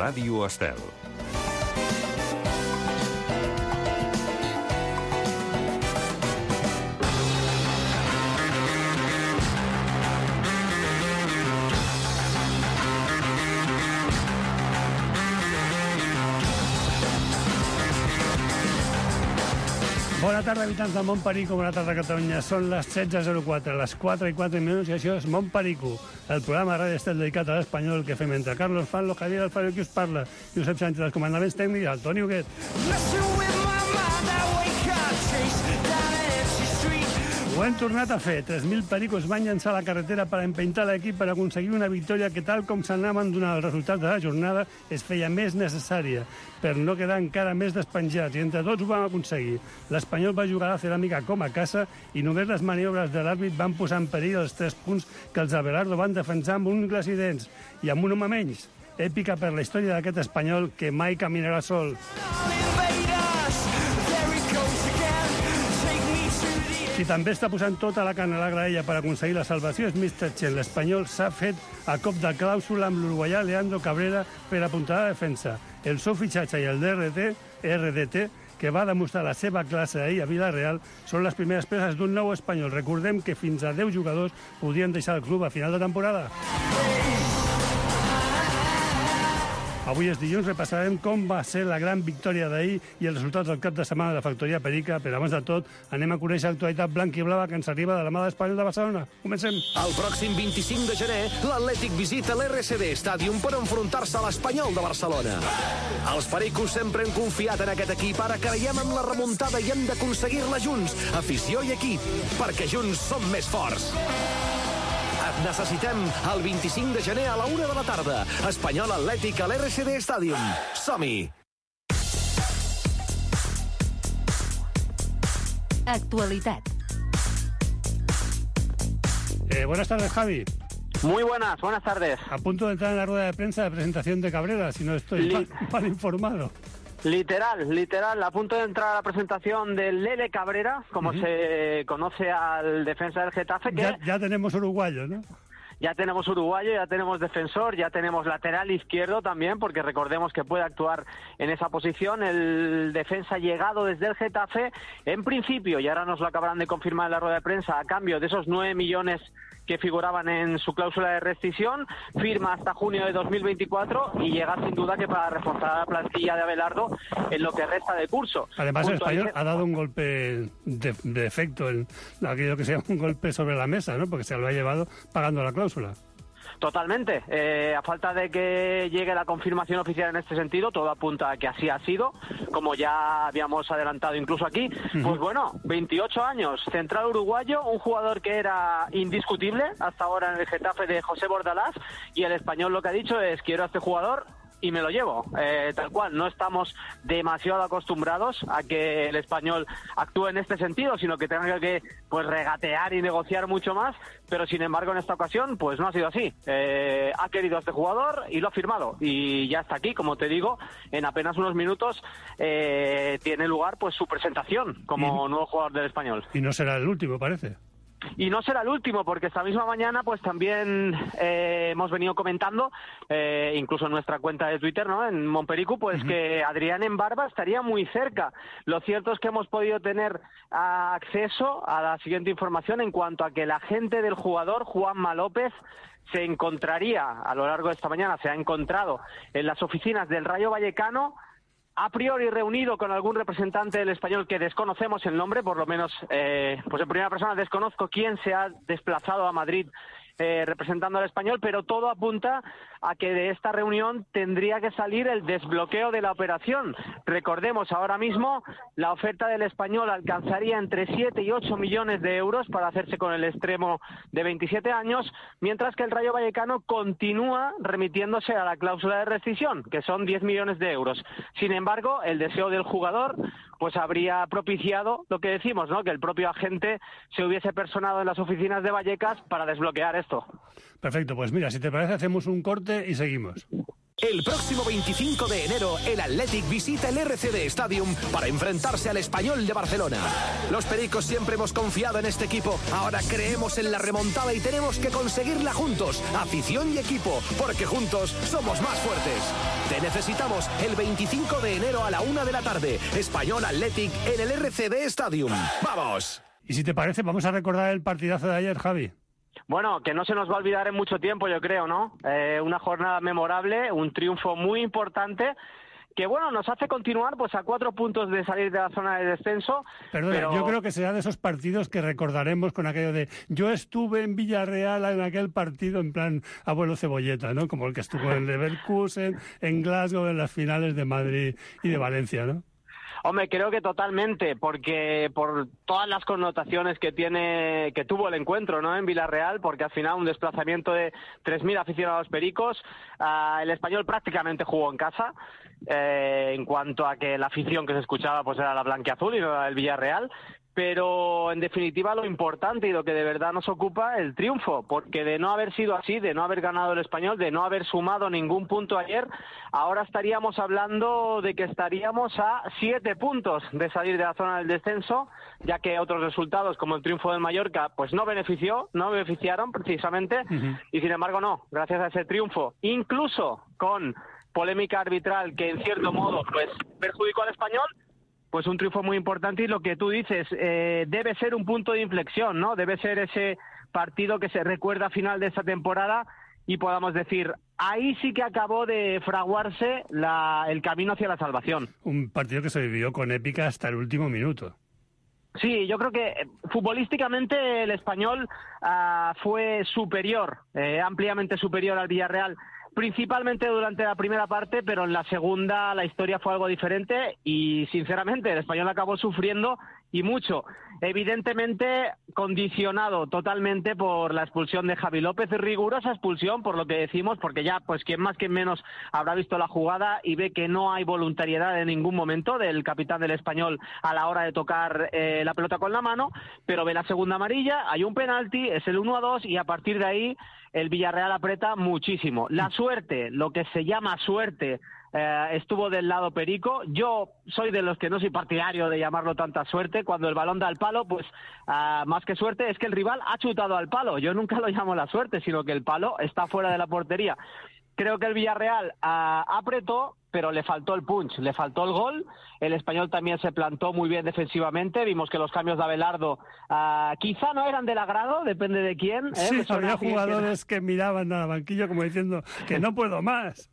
Ràdio Estel. Bona tarda, habitants de Montperico, bona tarda, Catalunya. Són les 16:04, les 4:04, i això és Montperico, el programa de Ràdio Estel dedicat a l'espanyol que fem entre Carlos Fanlo, Javier Alfaro, qui us parla, Josep Sánchez, els comandaments tècnics, el Toni Huguet. Ho hem tornat a fer. 3.000 pericos van llançar a la carretera per empeintar l'equip per aconseguir una victòria que, tal com s'anaven donant els resultats de la jornada, es feia més necessària, per no quedar encara més despenjats, i entre tots ho vam aconseguir. L'Espanyol va jugar a la Ceràmica com a casa i només les maniobres de l'àrbit van posar en perill els 3 punts que els Abelardo van defensar amb ungles i dents, i amb un home menys. Èpica per la història d'aquest Espanyol que mai caminarà sol. Qui també està posant tota la carn a la graella per aconseguir la salvació és Mr. Chen. L'Espanyol s'ha fet a cop de clàusula amb l'uruguaià Leandro Cabrera per apuntar la defensa. El seu fitxatge i el RDT, que va demostrar la seva classe ahir a Villarreal, són les primeres peces d'un nou Espanyol. Recordem que fins a 10 jugadors podien deixar el club a final de temporada. Avui és dilluns, repassarem com va ser la gran victòria d'ahir i els resultats del cap de setmana de la Factoria Perica, però abans de tot anem a conèixer l'actualitat blanca i blava que ens arriba de la mà d'Espanyol de Barcelona. Comencem. El pròxim 25 de gener, l'Atlètic visita l'RCD Stadium per enfrontar-se a l'Espanyol de Barcelona. Els pericos sempre han confiat en aquest equip, ara creiem en la remuntada i hem d'aconseguir-la junts, afició i equip, perquè junts som més forts. Et necessitem el 25 de gener a la 1 de la tarda. Espanyol Atlètic a l'RCD Stadium. Som-hi! Actualitat. Buenas tardes, Javi. Muy buenas tardes. A punto de entrar en la rueda de prensa de presentación de Cabrera, si no estoy mal informado. Literal, a punto de entrar a la presentación del Lele Cabrera, como se conoce al defensa del Getafe. Que ya tenemos uruguayo, ¿no? Ya tenemos uruguayo, ya tenemos defensor, ya tenemos lateral izquierdo también, porque recordemos que puede actuar en esa posición. El defensa llegado desde el Getafe, en principio, y ahora nos lo acabarán de confirmar en la rueda de prensa, a cambio de esos 9 millones que figuraban en su cláusula de rescisión, firma hasta junio de 2024 y llega sin duda que para reforzar la plantilla de Abelardo en lo que resta de curso. Además, el Español ha dado un golpe de efecto, aquello que se llama un golpe sobre la mesa, ¿no? Porque se lo ha llevado pagando la cláusula. Totalmente. A falta de que llegue la confirmación oficial en este sentido, todo apunta a que así ha sido, como ya habíamos adelantado incluso aquí. Pues bueno, 28 años, central uruguayo, un jugador que era indiscutible hasta ahora en el Getafe de José Bordalás, y el Español lo que ha dicho es: quiero a este jugador y me lo llevo, tal cual. No estamos demasiado acostumbrados a que el Español actúe en este sentido, sino que tenga que regatear y negociar mucho más, pero sin embargo en esta ocasión pues no ha sido así. Ha querido a este jugador y lo ha firmado, y ya está aquí, como te digo, en apenas unos minutos tiene lugar pues su presentación como nuevo jugador del Español. Y no será el último, parece. Y no será el último, porque esta misma mañana pues también hemos venido comentando, incluso en nuestra cuenta de Twitter, ¿no?, en Montperico, pues que Adrián Embarba estaría muy cerca. Lo cierto es que hemos podido tener acceso a la siguiente información en cuanto a que el agente del jugador, Juanma López, se encontraría a lo largo de esta mañana, se ha encontrado en las oficinas del Rayo Vallecano, a priori reunido con algún representante del Español que desconocemos el nombre, por lo menos pues en primera persona desconozco quién se ha desplazado a Madrid representando al Español, pero todo apunta a que de esta reunión tendría que salir el desbloqueo de la operación. Recordemos, ahora mismo la oferta del Español alcanzaría entre 7 y 8 millones de euros para hacerse con el extremo de 27 años, mientras que el Rayo Vallecano continúa remitiéndose a la cláusula de rescisión, que son 10 millones de euros. Sin embargo, el deseo del jugador pues habría propiciado lo que decimos, ¿no?, que el propio agente se hubiese personado en las oficinas de Vallecas para desbloquear esto. Perfecto, pues mira, si te parece hacemos un corte y seguimos. El próximo 25 de enero, el Athletic visita el RCD Stadium para enfrentarse al Español de Barcelona. Los pericos siempre hemos confiado en este equipo. Ahora creemos en la remontada y tenemos que conseguirla juntos, afición y equipo, porque juntos somos más fuertes. Te necesitamos el 25 de enero a la 1 de la tarde. Español Athletic en el RCD Stadium. ¡Vamos! Y si te parece, vamos a recordar el partidazo de ayer, Javi. Bueno, que no se nos va a olvidar en mucho tiempo, yo creo, ¿no? Una jornada memorable, un triunfo muy importante que, bueno, nos hace continuar pues a 4 puntos de salir de la zona de descenso. Perdona, yo creo que será de esos partidos que recordaremos con aquello de yo estuve en Villarreal en aquel partido en plan abuelo cebolleta, ¿no? Como el que estuvo en Leverkusen, en Glasgow, en las finales de Madrid y de Valencia, ¿no? Hombre, creo que totalmente, porque por todas las connotaciones que tuvo el encuentro, ¿no? En Villarreal, porque al final un desplazamiento de 3.000 aficionados pericos, el Español prácticamente jugó en casa, en cuanto a que la afición que se escuchaba pues era la blanquiazul y no la del Villarreal. Pero, en definitiva, lo importante y lo que de verdad nos ocupa, el triunfo, porque de no haber sido así, de no haber ganado el Español, de no haber sumado ningún punto ayer, ahora estaríamos hablando de que estaríamos a 7 puntos de salir de la zona del descenso, ya que otros resultados, como el triunfo del Mallorca, pues no beneficiaron precisamente, y sin embargo no, gracias a ese triunfo, incluso con polémica arbitral que en cierto modo pues perjudicó al Español, pues un triunfo muy importante y lo que tú dices, debe ser un punto de inflexión, ¿no? Debe ser ese partido que se recuerda a final de esta temporada y podamos decir, ahí sí que acabó de fraguarse el camino hacia la salvación. Un partido que se vivió con épica hasta el último minuto. Sí, yo creo que futbolísticamente el Español fue superior, ampliamente superior al Villarreal, principalmente durante la primera parte, pero en la segunda la historia fue algo diferente y, sinceramente, el Español acabó sufriendo y mucho. Evidentemente condicionado totalmente por la expulsión de Javi López, rigurosa expulsión, por lo que decimos, porque ya, pues quien más, quien menos habrá visto la jugada y ve que no hay voluntariedad en ningún momento del capitán del Español a la hora de tocar la pelota con la mano, pero ve la segunda amarilla, hay un penalti, es el 1-2 y a partir de ahí el Villarreal aprieta muchísimo. La suerte, lo que se llama suerte, estuvo del lado perico. Yo soy de los que no soy partidario de llamarlo tanta suerte. Cuando el balón da al palo, pues más que suerte es que el rival ha chutado al palo. Yo nunca lo llamo la suerte, sino que el palo está fuera de la portería. Creo que el Villarreal apretó, pero le faltó el punch, le faltó el gol. El Español también se plantó muy bien defensivamente. Vimos que los cambios de Abelardo quizá no eran del agrado, depende de quién. Sí, había jugadores que miraban al banquillo como diciendo que no puedo más.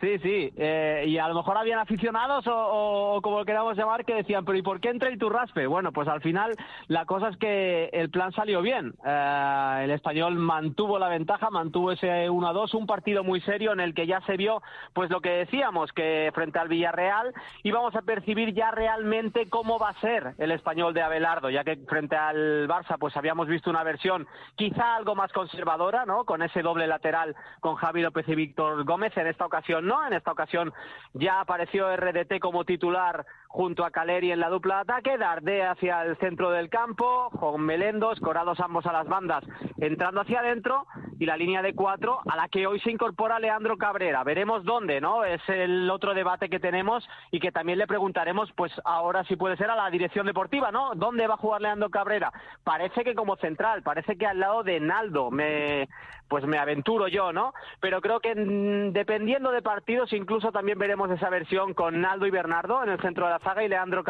Sí, y a lo mejor habían aficionados o como lo queramos llamar que decían, pero ¿y por qué entra Iturraspe? Bueno, pues al final la cosa es que el plan salió bien. El Español mantuvo la ventaja, mantuvo ese 1-2, un partido muy serio en el que ya se vio pues lo que decíamos, que frente al Villarreal íbamos a percibir ya realmente cómo va a ser el Español de Abelardo, ya que frente al Barça pues habíamos visto una versión quizá algo más conservadora, ¿no? Con ese doble lateral con Javi López y Víctor Gómez. En esta ocasión no, en esta ocasión ya apareció RDT como titular junto a Caleri en la dupla de ataque, Dardé hacia el centro del campo, con Melendo, escorados ambos a las bandas, entrando hacia adentro, y la línea de 4 a la que hoy se incorpora Leandro Cabrera. Veremos dónde, ¿no? Es el otro debate que tenemos y que también le preguntaremos, pues ahora si puede ser a la dirección deportiva, ¿no? ¿Dónde va a jugar Leandro Cabrera? Parece que como central, parece que al lado de Naldo, me aventuro yo, ¿no? Pero creo que dependiendo de partidos, incluso también veremos esa versión con Naldo y Bernardo en el centro de la zaga y Leandro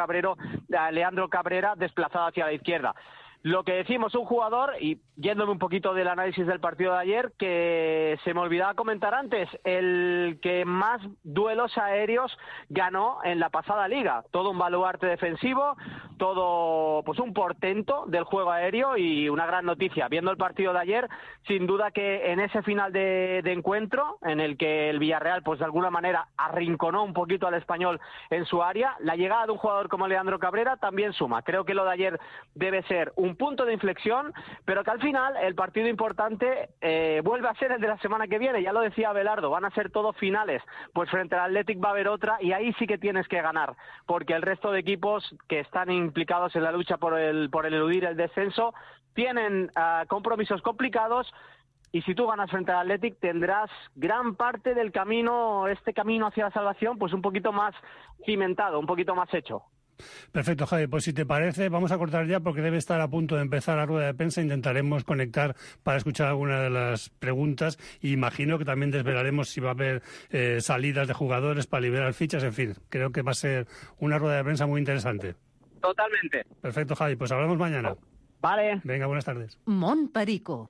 Cabrera desplazado hacia la izquierda. Lo que decimos, un jugador, y yéndome un poquito del análisis del partido de ayer, que se me olvidaba comentar antes, el que más duelos aéreos ganó en la pasada liga. Todo un baluarte defensivo, todo pues un portento del juego aéreo y una gran noticia. Viendo el partido de ayer, sin duda que en ese final de encuentro, en el que el Villarreal pues de alguna manera arrinconó un poquito al Español en su área, la llegada de un jugador como Leandro Cabrera también suma. Creo que lo de ayer debe ser un punto de inflexión, pero que al final el partido importante vuelve a ser el de la semana que viene. Ya lo decía Abelardo, van a ser todos finales, pues frente al Athletic va a haber otra y ahí sí que tienes que ganar, porque el resto de equipos que están implicados en la lucha por el eludir el descenso tienen compromisos complicados y si tú ganas frente al Athletic tendrás gran parte del camino, este camino hacia la salvación, pues un poquito más cimentado, un poquito más hecho. Perfecto, Javi. Pues si te parece, vamos a cortar ya porque debe estar a punto de empezar la rueda de prensa. Intentaremos conectar para escuchar alguna de las preguntas y imagino que también desvelaremos si va a haber salidas de jugadores para liberar fichas. En fin, creo que va a ser una rueda de prensa muy interesante. Totalmente. Perfecto, Javi. Pues hablamos mañana. Vale. Venga, buenas tardes. Mont Perico.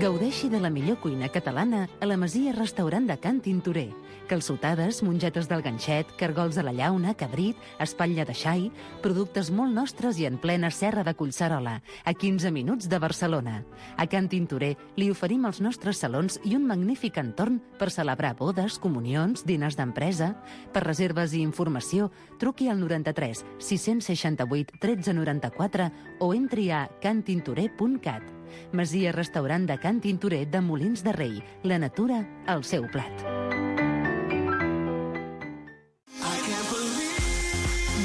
Gaudeixi de la millor cuina catalana a la Masia Restaurant de Can Tintorer. Calçotades, mongetes del ganxet, cargols a la llauna, cabrit, espatlla de xai, productes molt nostres i en plena serra de Collserola, a 15 minuts de Barcelona. A Can Tintorer li oferim els nostres salons i un magnífic entorn per celebrar bodes, comunions, diners d'empresa. Per reserves i informació, truqui al 93 668 1394 o entri a cantintorer.cat. Masia Restaurant de Can Tintorer de Molins de Rei. La natura al seu plat.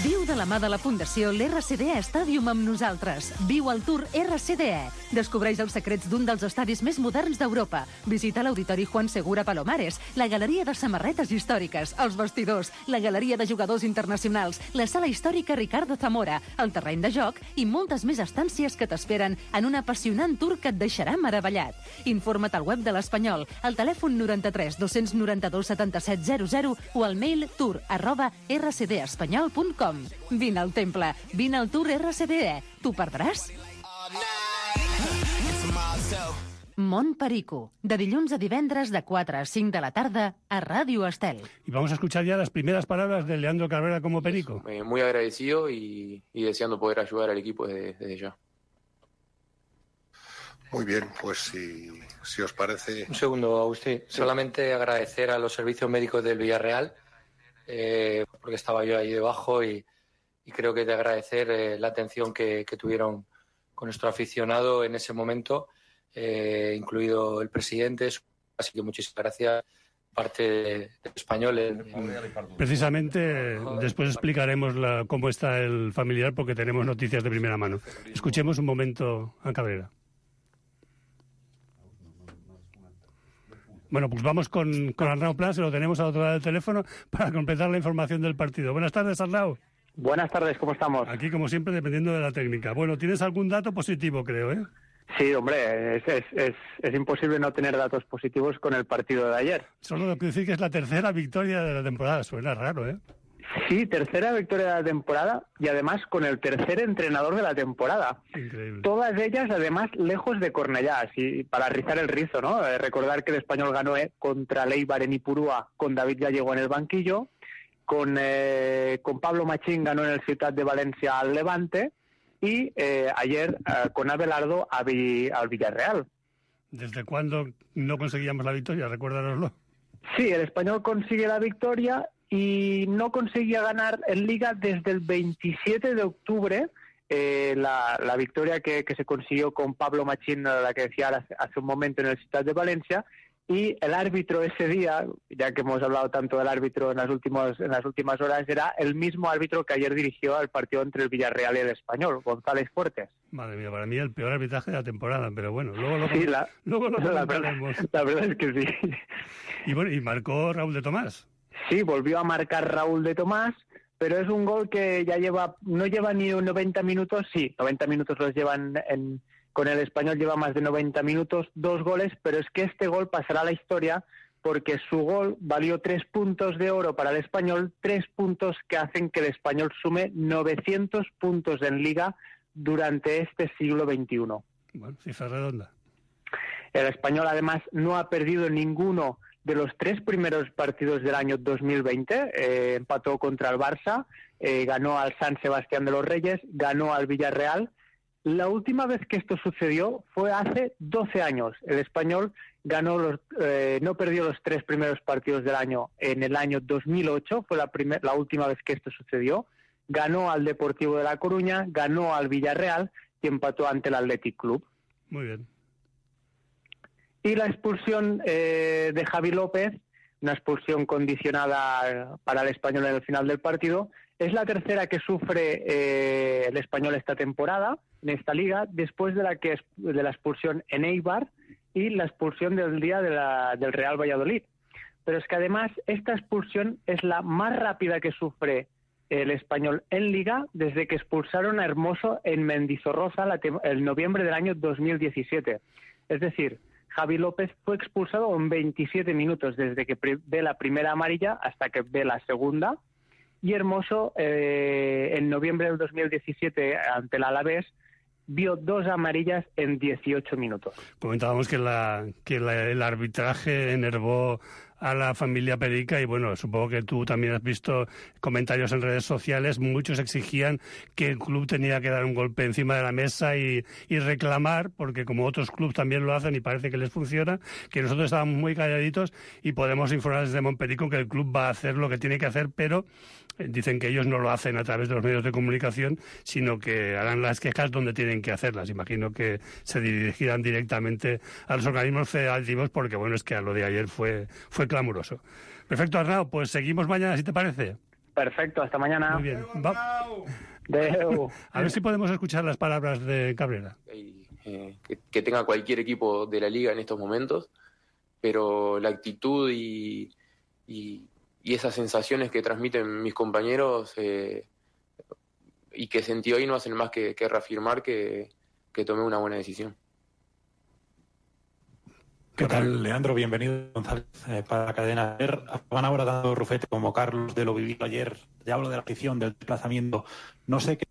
Viu de la mà de la Fundació l'RCDE Stadium amb nosaltres. Viu el Tour RCDE. Descobreix els secrets d'un dels estadis més moderns d'Europa. Visita l'Auditori Juan Segura Palomares, la Galeria de Samarretes Històriques, els vestidors, la Galeria de Jugadors Internacionals, la Sala Històrica Ricardo Zamora, el terreny de joc i moltes més estàncies que t'esperen en un apassionant tour que et deixarà meravellat. Informa't al web de l'Espanyol, al telèfon 93 292 77 00 o al mail tour@rcdespanyol.com. Vine al temple, vine al Tour RCDE. T'ho perdràs? Mont Perico, de dilluns a divendres de 4 a 5 de la tarda a Ràdio Estel. Y vamos a escuchar ya las primeras palabras de Leandro Cabrera como Perico. Muy agradecido y deseando poder ayudar al equipo desde ya. Muy bien, pues si os parece... Un segundo, Agustín. Sí. Solamente agradecer a los servicios médicos del Villarreal, porque estaba yo ahí debajo y creo que de agradecer la atención que tuvieron con nuestro aficionado en ese momento, incluido el presidente. Así que muchísimas gracias, parte del Español. Precisamente después explicaremos cómo está el familiar porque tenemos noticias de primera mano. Escuchemos un momento a Cabrera. Bueno, pues vamos con Arnau Pla, se lo tenemos al otro lado del teléfono para completar la información del partido. Buenas tardes, Arnau. Buenas tardes, ¿cómo estamos? Aquí, como siempre, dependiendo de la técnica. Bueno, ¿tienes algún dato positivo, creo, eh? Sí, hombre, es imposible no tener datos positivos con el partido de ayer. Solo lo que decir que es la tercera victoria de la temporada. Suena raro, ¿eh? Sí, tercera victoria de la temporada y además con el tercer entrenador de la temporada. Increíble. Todas ellas, además, lejos de Cornellá, así para rizar el rizo, ¿no? Recordar que el Español ganó contra l'Eibar en Ipurúa con David Gallego en el banquillo, con Pablo Machín ganó en el Ciutat de Valencia al Levante y ayer con Abelardo al Villarreal. ¿Desde cuándo no conseguíamos la victoria? Recuérdanoslo. Sí, el Español consigue la victoria y no conseguía ganar en Liga desde el 27 de octubre, la victoria que se consiguió con Pablo Machín, la que decía hace un momento en el Ciutat de Valencia, y el árbitro ese día, ya que hemos hablado tanto del árbitro en las últimas horas, era el mismo árbitro que ayer dirigió al partido entre el Villarreal y el Español, González Fuertes. Madre mía, para mí el peor arbitraje de la temporada, pero bueno, luego lo comentaremos. La verdad es que sí. Y bueno, y marcó Raúl de Tomás. Sí, volvió a marcar Raúl de Tomás, pero es un gol que ya no lleva ni 90 minutos, sí, 90 minutos los llevan con el Español, lleva más de 90 minutos, 2 goles, pero es que este gol pasará a la historia porque su gol valió 3 puntos de oro para el Español, 3 puntos que hacen que el Español sume 900 puntos en Liga durante este siglo XXI. Bueno, cifra redonda. El Español además no ha perdido ninguno de los 3 primeros partidos del año 2020, empató contra el Barça, ganó al San Sebastián de los Reyes, ganó al Villarreal. La última vez que esto sucedió fue hace 12 años. El Español no perdió los 3 primeros partidos del año en el año 2008, fue la última vez que esto sucedió. Ganó al Deportivo de La Coruña, ganó al Villarreal y empató ante el Athletic Club. Muy bien. Y la expulsión de Javi López, una expulsión condicionada para el Español en el final del partido, Es la tercera que sufre el Español esta temporada, en esta liga, después de la expulsión en Eibar y la expulsión del día del Real Valladolid. Pero es que además esta expulsión es la más rápida que sufre el Español en Liga desde que expulsaron a Hermoso en Mendizorroza el noviembre del año 2017. Es decir, Javi López fue expulsado en 27 minutos desde que ve la primera amarilla hasta que ve la segunda. Y Hermoso, en noviembre del 2017, ante el Alavés, vio 2 amarillas en 18 minutos. Comentábamos que el arbitraje enervó a la familia Perica y bueno, supongo que tú también has visto comentarios en redes sociales. Muchos exigían que el club tenía que dar un golpe encima de la mesa y reclamar, porque como otros clubes también lo hacen y parece que les funciona, que nosotros estábamos muy calladitos y podemos informar desde Montperico que el club va a hacer lo que tiene que hacer, pero dicen que ellos no lo hacen a través de los medios de comunicación, sino que harán las quejas donde tienen que hacerlas. Imagino que se dirigirán directamente a los organismos federativos, porque bueno, es que a lo de ayer fue clamoroso. Perfecto, Arnau, pues seguimos mañana, si te parece. Perfecto, hasta mañana. Muy bien. A ver si podemos escuchar las palabras de Cabrera. Que tenga cualquier equipo de la liga en estos momentos, pero la actitud y esas sensaciones que transmiten mis compañeros y que sentí hoy no hacen más que reafirmar que tomé una buena decisión. ¿Qué tal, Leandro? Bienvenido, González, para la cadena. Van ahora dando Rufete como Carlos de lo vivido ayer. Ya hablo de la afición, del desplazamiento. No sé qué...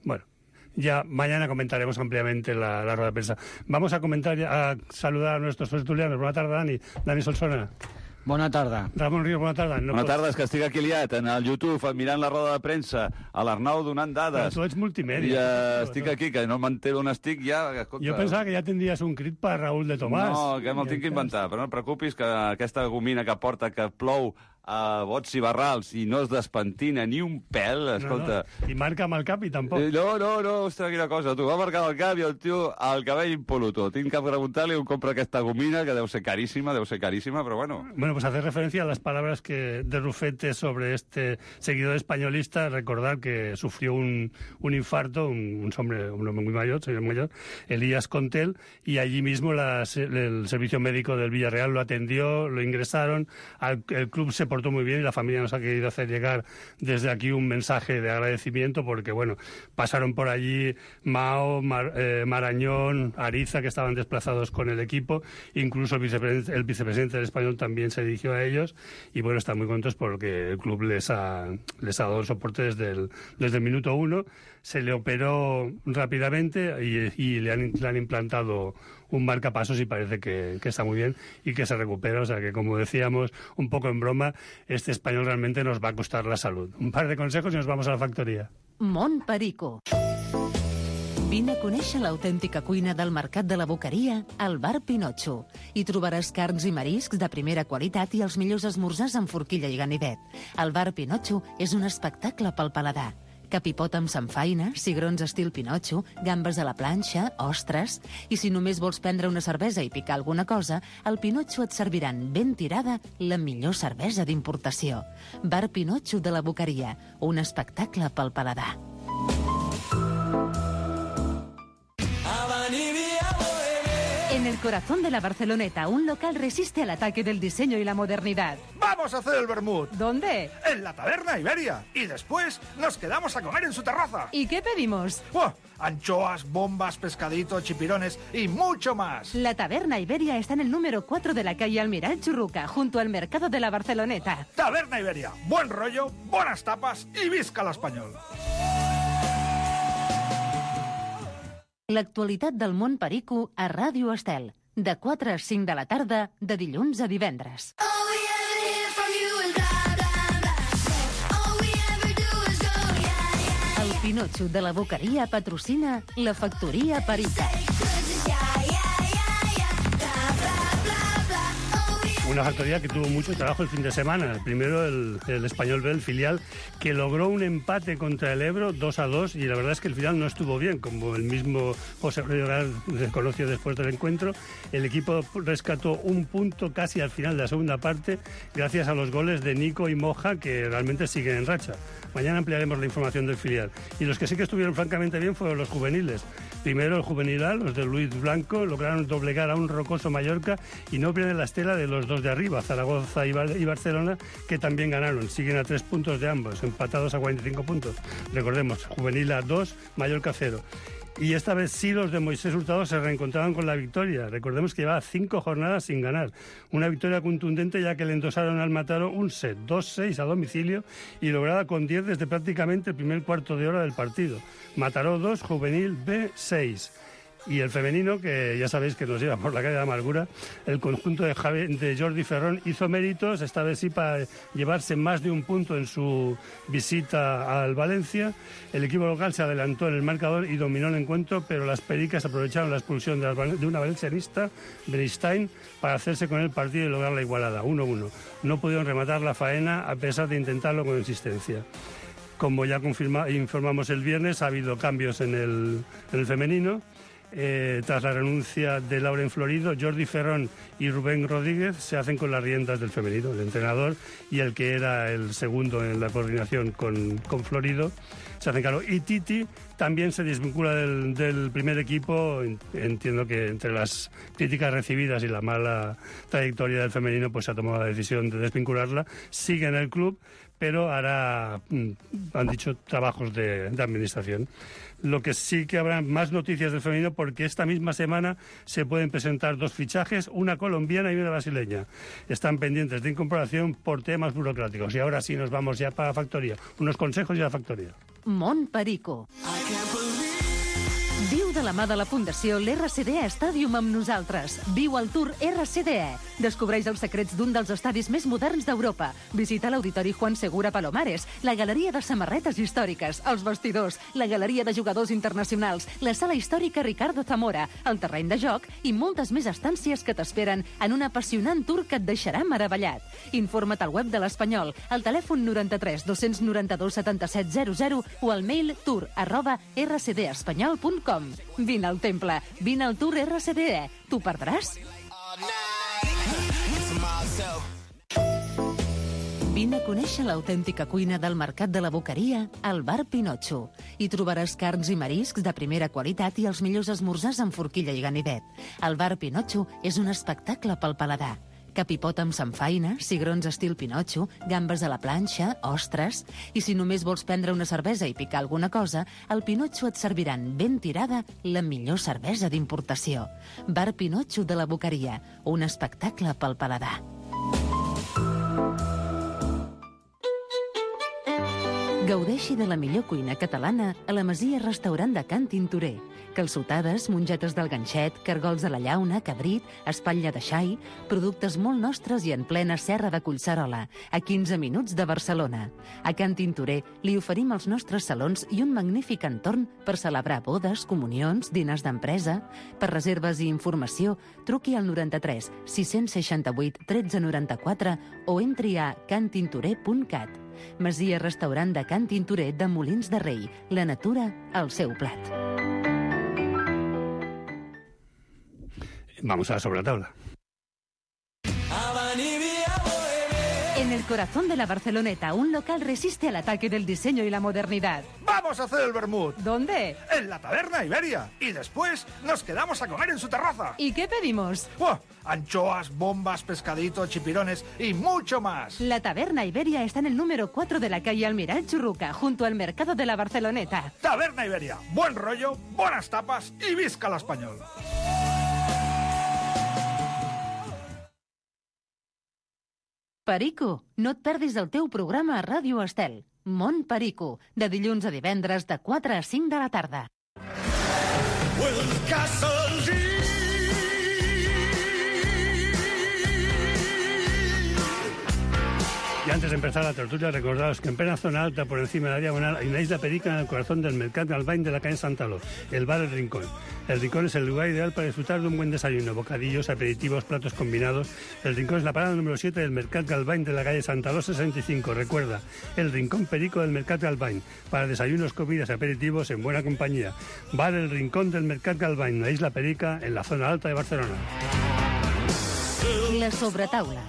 Bueno, ya mañana comentaremos ampliamente la rueda de prensa. Vamos a saludar a nuestros tertulianos. Buenas tardes, Dani Solsona. Bona tarda. Ramon Ríos, bona tarda. Bona tarda, és que estic aquí liat en el YouTube mirant la roda de premsa, a l'Arnau donant dades. Però tu ets multimèdia. Estic aquí, que no m'entero on estic ja. Escolta, jo pensava que ja tindries un crit per Raúl de Tomàs. No, que me'l tinc que inventar, però no et preocupis que aquesta gomina que porta que plou a bots i barrals i no es despentina ni un pèl, escolta... No. I marca amb el cap i tampoc. No, ostres, quina cosa, tu. Va marcar el cap i el tio el cabell impoluto. Tinc que preguntar-li on compra aquesta gomina, que deu ser carísima, però bueno. Bueno, pues hacer referencia a las palabras de Rufete sobre este seguidor españolista. Recordar que sufrió un infarto, un hombre muy mayor, señor mayor, Elías Contel, y allí mismo el servicio médico del Villarreal lo atendió, lo ingresaron, el club se portó muy bien y la familia nos ha querido hacer llegar desde aquí un mensaje de agradecimiento porque, bueno, pasaron por allí Mao, Marañón, Ariza, que estaban desplazados con el equipo, incluso el vicepresidente del Español también se dirigió a ellos y, bueno, están muy contentos porque el club les ha dado el soporte desde el minuto 1. Se le operó rápidamente y le han implantado un marcapasos y parece que está muy bien y que se recupera. O sea que, como decíamos un poco en broma, este Español realmente nos va a costar la salud. Un par de consejos y nos vamos a la factoría. Montperico. Vine a conèixer l'autèntica cuina del Mercat de la Boqueria al Bar Pinotxo. Hi trobaràs carns i mariscs de primera qualitat i els millors esmorzars amb forquilla i ganivet. El Bar Pinotxo és un espectacle pel paladar. Capipot amb samfaina, cigrons estil Pinotxo, gambes a la planxa, ostres... I si només vols prendre una cervesa i picar alguna cosa, al Pinotxo et serviran ben tirada la millor cervesa d'importació. Bar Pinotxo de la Boqueria, un espectacle pel paladar. En el corazón de la Barceloneta, un local resiste al ataque del diseño y la modernidad. ¡Vamos a hacer el vermut! ¿Dónde? En la Taberna Iberia. Y después nos quedamos a comer en su terraza. ¿Y qué pedimos? Anchoas, bombas, pescaditos, chipirones y mucho más. La Taberna Iberia está en el número 4 de la calle Almiral Churruca, junto al mercado de la Barceloneta. Taberna Iberia. Buen rollo, buenas tapas y visca l'espanyol. L'actualitat del món perico a Ràdio Estel, de 4 a 5 de la tarda, de dilluns a divendres. El Pinotxo de la Boqueria patrocina la Factoria Perica. Una factoría que tuvo mucho trabajo el fin de semana. Primero el Español B, el filial, que logró un empate contra el Ebro 2-2, y la verdad es que el final no estuvo bien, como el mismo José Rodríguez reconoció después del encuentro. El equipo rescató un punto casi al final de la segunda parte, gracias a los goles de Nico y Moja, que realmente siguen en racha. Mañana ampliaremos la información del filial. Y los que sí que estuvieron francamente bien fueron los juveniles. Primero el juvenil A, los de Luis Blanco, lograron doblegar a un rocoso Mallorca y no pierden la estela de los dos de arriba, Zaragoza y Barcelona, que también ganaron. Siguen a 3 puntos de ambos, empatados a 45 puntos. Recordemos, juvenil A 2, Mallorca 0. Y esta vez sí los de Moisés Hurtado se reencontraban con la victoria. Recordemos que llevaba 5 jornadas sin ganar. Una victoria contundente, ya que le endosaron al Mataró un set, 2-6 a domicilio, y lograda con 10 desde prácticamente el primer cuarto de hora del partido. Mataró 2, juvenil B 6. Y el femenino, que ya sabéis que nos lleva por la calle de amargura, el conjunto de Jordi Ferrón hizo méritos, esta vez sí, para llevarse más de un punto en su visita al Valencia. El equipo local se adelantó en el marcador y dominó el encuentro, pero las pericas aprovecharon la expulsión de una valencianista, Beristain, para hacerse con el partido y lograr la igualada, 1-1. No pudieron rematar la faena a pesar de intentarlo con insistencia. Como ya informamos el viernes, ha habido cambios en el femenino. Tras la renuncia de Lauren Florido, Jordi Ferrón y Rubén Rodríguez se hacen con las riendas del femenino. El entrenador y el que era el segundo en la coordinación con Florido se hacen cargo. Y Titi también se desvincula del primer equipo. Entiendo que entre las críticas recibidas y la mala trayectoria del femenino, pues se ha tomado la decisión de desvincularla. Sigue en el club, pero hará, han dicho, trabajos de administración. Lo que sí que habrá más noticias del femenino, porque esta misma semana se pueden presentar 2 fichajes, una colombiana y una brasileña. Están pendientes de incorporación por temas burocráticos. Y ahora sí nos vamos ya para la factoría. Unos consejos y la factoría. Mont Perico. Viu de la mà de la Fundació l'RCDE Stadium amb nosaltres. Viu el Tour RCDE. Descobreix els secrets d'un dels estadis més moderns d'Europa. Visita l'Auditori Juan Segura Palomares, la Galeria de Samarretes Històriques, els vestidors, la Galeria de Jugadors Internacionals, la Sala Històrica Ricardo Zamora, el terreny de joc i moltes més estàncies que t'esperen en un apassionant tour que et deixarà meravellat. Informa't al web de l'Espanyol, al telèfon 93 292 77 00 o al mail tour@rcdespanyol.com. Vine al temple, vine al Tour RCDE. T'ho perdràs? Vine a conèixer l'autèntica cuina del Mercat de la Boqueria al Bar Pinotxo. Hi trobaràs carns i mariscs de primera qualitat i els millors esmorzars amb forquilla i ganivet. El Bar Pinotxo és un espectacle pel paladar. Capipot amb samfaina, cigrons estil Pinotxo, gambes a la planxa, ostres... I si només vols prendre una cervesa i picar alguna cosa, al Pinotxo et serviran ben tirada la millor cervesa d'importació. Bar Pinotxo de la Boqueria, un espectacle pel paladar. Gaudeixi de la millor cuina catalana a la Masia Restaurant de Can Tintorer. Calçotades, mongetes del ganxet, cargols de la llauna, cabrit, espatlla de xai, productes molt nostres i en plena serra de Collserola, a 15 minuts de Barcelona. A Can Tintorer li oferim els nostres salons i un magnífic entorn per celebrar bodes, comunions, dinars d'empresa. Per reserves i informació, truqui al 93 668 1394 o entri a cantintorer.cat. Masia Restaurant de Can Tintorer de Molins de Rei. La natura al seu plat. Vamos a la sobretaula. En el corazón de la Barceloneta, un local resiste al ataque del diseño y la modernidad. ¡Vamos a hacer el vermut! ¿Dónde? En la Taberna Iberia. Y después nos quedamos a comer en su terraza. ¿Y qué pedimos? ¡Buah! Anchoas, bombas, pescadito, chipirones y mucho más. La Taberna Iberia está en el número 4 de la calle Almiral Churruca, junto al mercado de la Barceloneta. Taberna Iberia. Buen rollo, buenas tapas y visca la Español. Perico, no et perdis el teu programa a Ràdio Estel. Mont Perico, de dilluns a divendres de 4 a 5 de la tarda. Y antes de empezar la tertulia, recordaros que en plena zona alta, por encima de la diagonal, hay una isla perica en el corazón del Mercat Galvany de la calle Santaló, el bar El Rincón. El Rincón es el lugar ideal para disfrutar de un buen desayuno, bocadillos, aperitivos, platos combinados. El Rincón es la parada número 7 del Mercat Galvany de la calle Santaló 65. Recuerda, el Rincón Perico del Mercat Galvany, para desayunos, comidas, aperitivos en buena compañía. Bar El Rincón del Mercat Galvany, una isla perica en la zona alta de Barcelona. La sobretaula.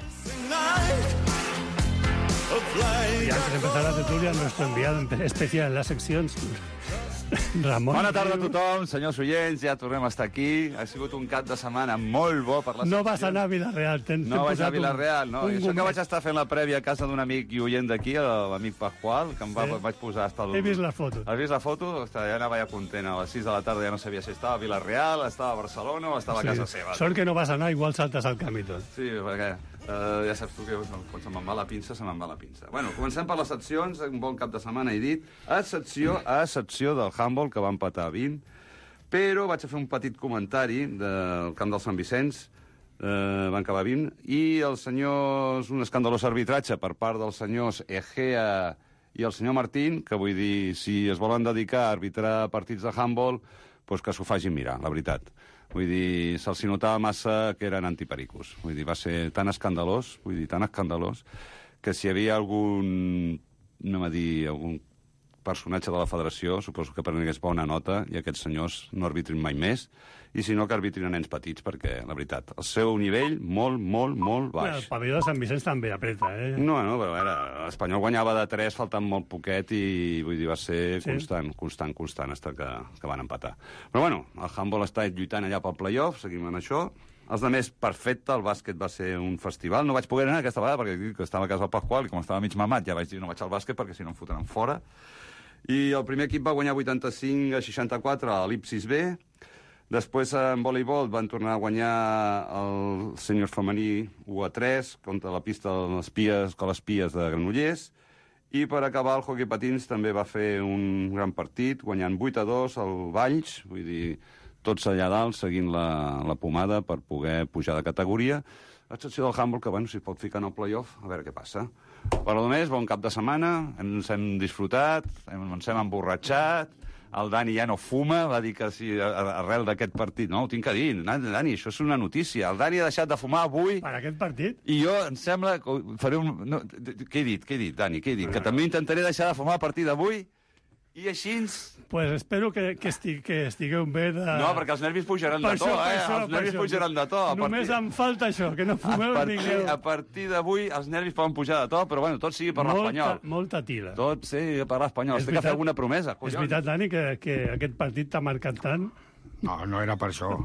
Y antes de empezar la tertulia, nuestro enviado especial en la sección, Ramon. Bona tarda a tothom, senyors oients, ja tornem a estar aquí. Ha sigut un cap de setmana molt bo per la secció. No vas anar a Vilareal. No vaig anar a Vilareal, no. I això que vaig estar fent la prèvia a casa d'un amic i oient d'aquí, l'amic Pasqual, que em vaig posar hasta el... He vist la foto. Has vist la foto? Ostres, ja anava ja content. A les 6 de la tarda ja no sabia si estava a Vilareal, estava a Barcelona o estava a casa seva. Sort que no vas anar, igual saltes al camí tot. Sí, perquè ja saps tu que quan se me'n va la pinça, se me'n va la pinça. Bueno, comencem per les seccions, un bon cap de setmana, he dit, a excepció del handball, que va empatar a 20, però vaig a fer un petit comentari del camp del Sant Vicenç, van acabar 20, i els senyors, un escandalós arbitratge per part dels senyors Egea i el senyor Martín, que vull dir, si es volen dedicar a arbitrar partits de handball, doncs que s'ho facin mirar, la veritat. Vull dir, se'ls notava massa que eren antipericos. Vull dir, va ser tan escandalós, que si hi havia algun personatge de la federació, suposo que prengués bona nota, i aquests senyors no arbitrin mai més, i si no, que arbitrin a nens petits, perquè, la veritat, el seu nivell molt baix. Bueno, el pavelló de Sant Vicenç també apreta, eh? No, però l'Espanyol guanyava de 3, faltant molt poquet, i vull dir, va ser constant, hasta que van empatar. Però bueno, el handball està lluitant allà pel playoff, seguim en això. Els altres, perfecte, el bàsquet va ser un festival. No vaig poder anar aquesta vegada perquè estava a casa del Pasqual i com estava mig mamat ja vaig dir no vaig al bàsquet perquè si no em fotran fora. I el primer equip va guanyar 85-64 a l'Ipsis B. Després, en voleibol, van tornar a guanyar el sènior femení 1-3 contra la pista de les Pies de Granollers. I per acabar, el hoquei patins també va fer un gran partit, guanyant 8-2 al Valls, vull dir, tots allà dalt, seguint la pomada per poder pujar de categoria. A excepció del handball, que, bueno, si pot ficar en el playoff, a veure què passa. Per a més, bon cap de setmana, ens hem disfrutat, ens hem emborratxat, el Dani ja no fuma, va dir que sí, arrel d'aquest partit. No, ho tinc que dir, Dani, això és una notícia. El Dani ha deixat de fumar avui... Per aquest partit? I jo, em sembla, faré un... No, què he dit, Dani, què he dit? Que també intentaré deixar de fumar a partir d'avui... I així... Pues espero que estigueu bé de... No, perquè els nervis pujaran de to, Els nervis pujaran de to. Només em falta això, que no fumeu ningú. A partir d'avui els nervis poden pujar de to, però bueno, tot sigui per l'Espanyol. Molta tira. Tot sigui per l'Espanyol. Has de fer alguna promesa, collons. És veritat, Dani, que aquest partit t'ha marcat tant? No era per això.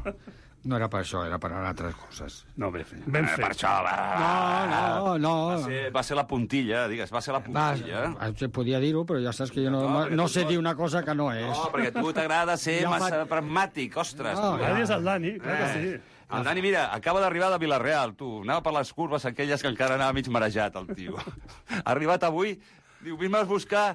No era per això, era per altres coses. No, ben fet. Per això, No. Va ser la puntilla, digues, va ser la puntilla. Podia dir-ho, però ja saps que jo no sé dir una cosa que no és. No, perquè a tu t'agrada ser massa pragmàtic, ostres. Ara és el Dani, clar que sí. El Dani, mira, acaba d'arribar de Vilareal, tu. Anava per les curves aquelles que encara anava mig marejat, el tio. Ha arribat avui, diu, vés-me a buscar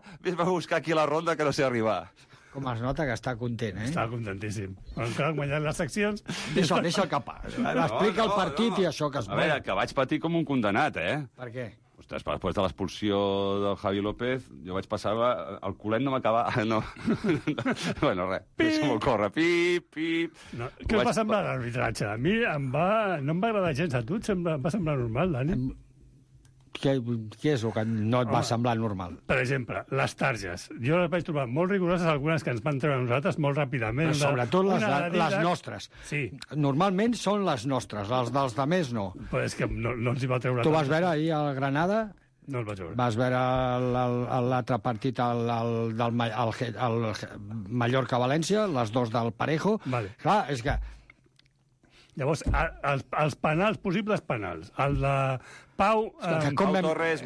aquí a la ronda que no sé arribar. Com es nota que està content, eh? Està contentíssim. Encara han guanyat les seccions... Deixa el capà. Explica el partit i això que es veu. A veure, que vaig patir com un condenat, eh? Per què? Ostres, després de l'expulsió del Javi López, jo vaig passar... El culet no m'acaba... No. Bueno, res. Deixa'm-ho córrer. Pip. No, què va semblar l'arbitratge? A mi no em va agradar gens. A tu em va semblar normal, Dani? Què és el que no et va semblar normal? Per exemple, les targes. Jo les vaig trobar molt rigoroses, algunes que ens van treure a nosaltres molt ràpidament. Però sobretot les nostres. Sí. Normalment són les nostres, les dels de més no. Però és que no ens hi va treure... Tu vas veure ahir al Granada? No el vaig veure. Vas veure l'altre partit, el Mallorca-València, les dos del Parejo. Vale. Clar, és que... Llavors, els penals, possibles penals, el de Pau... Pau Torres,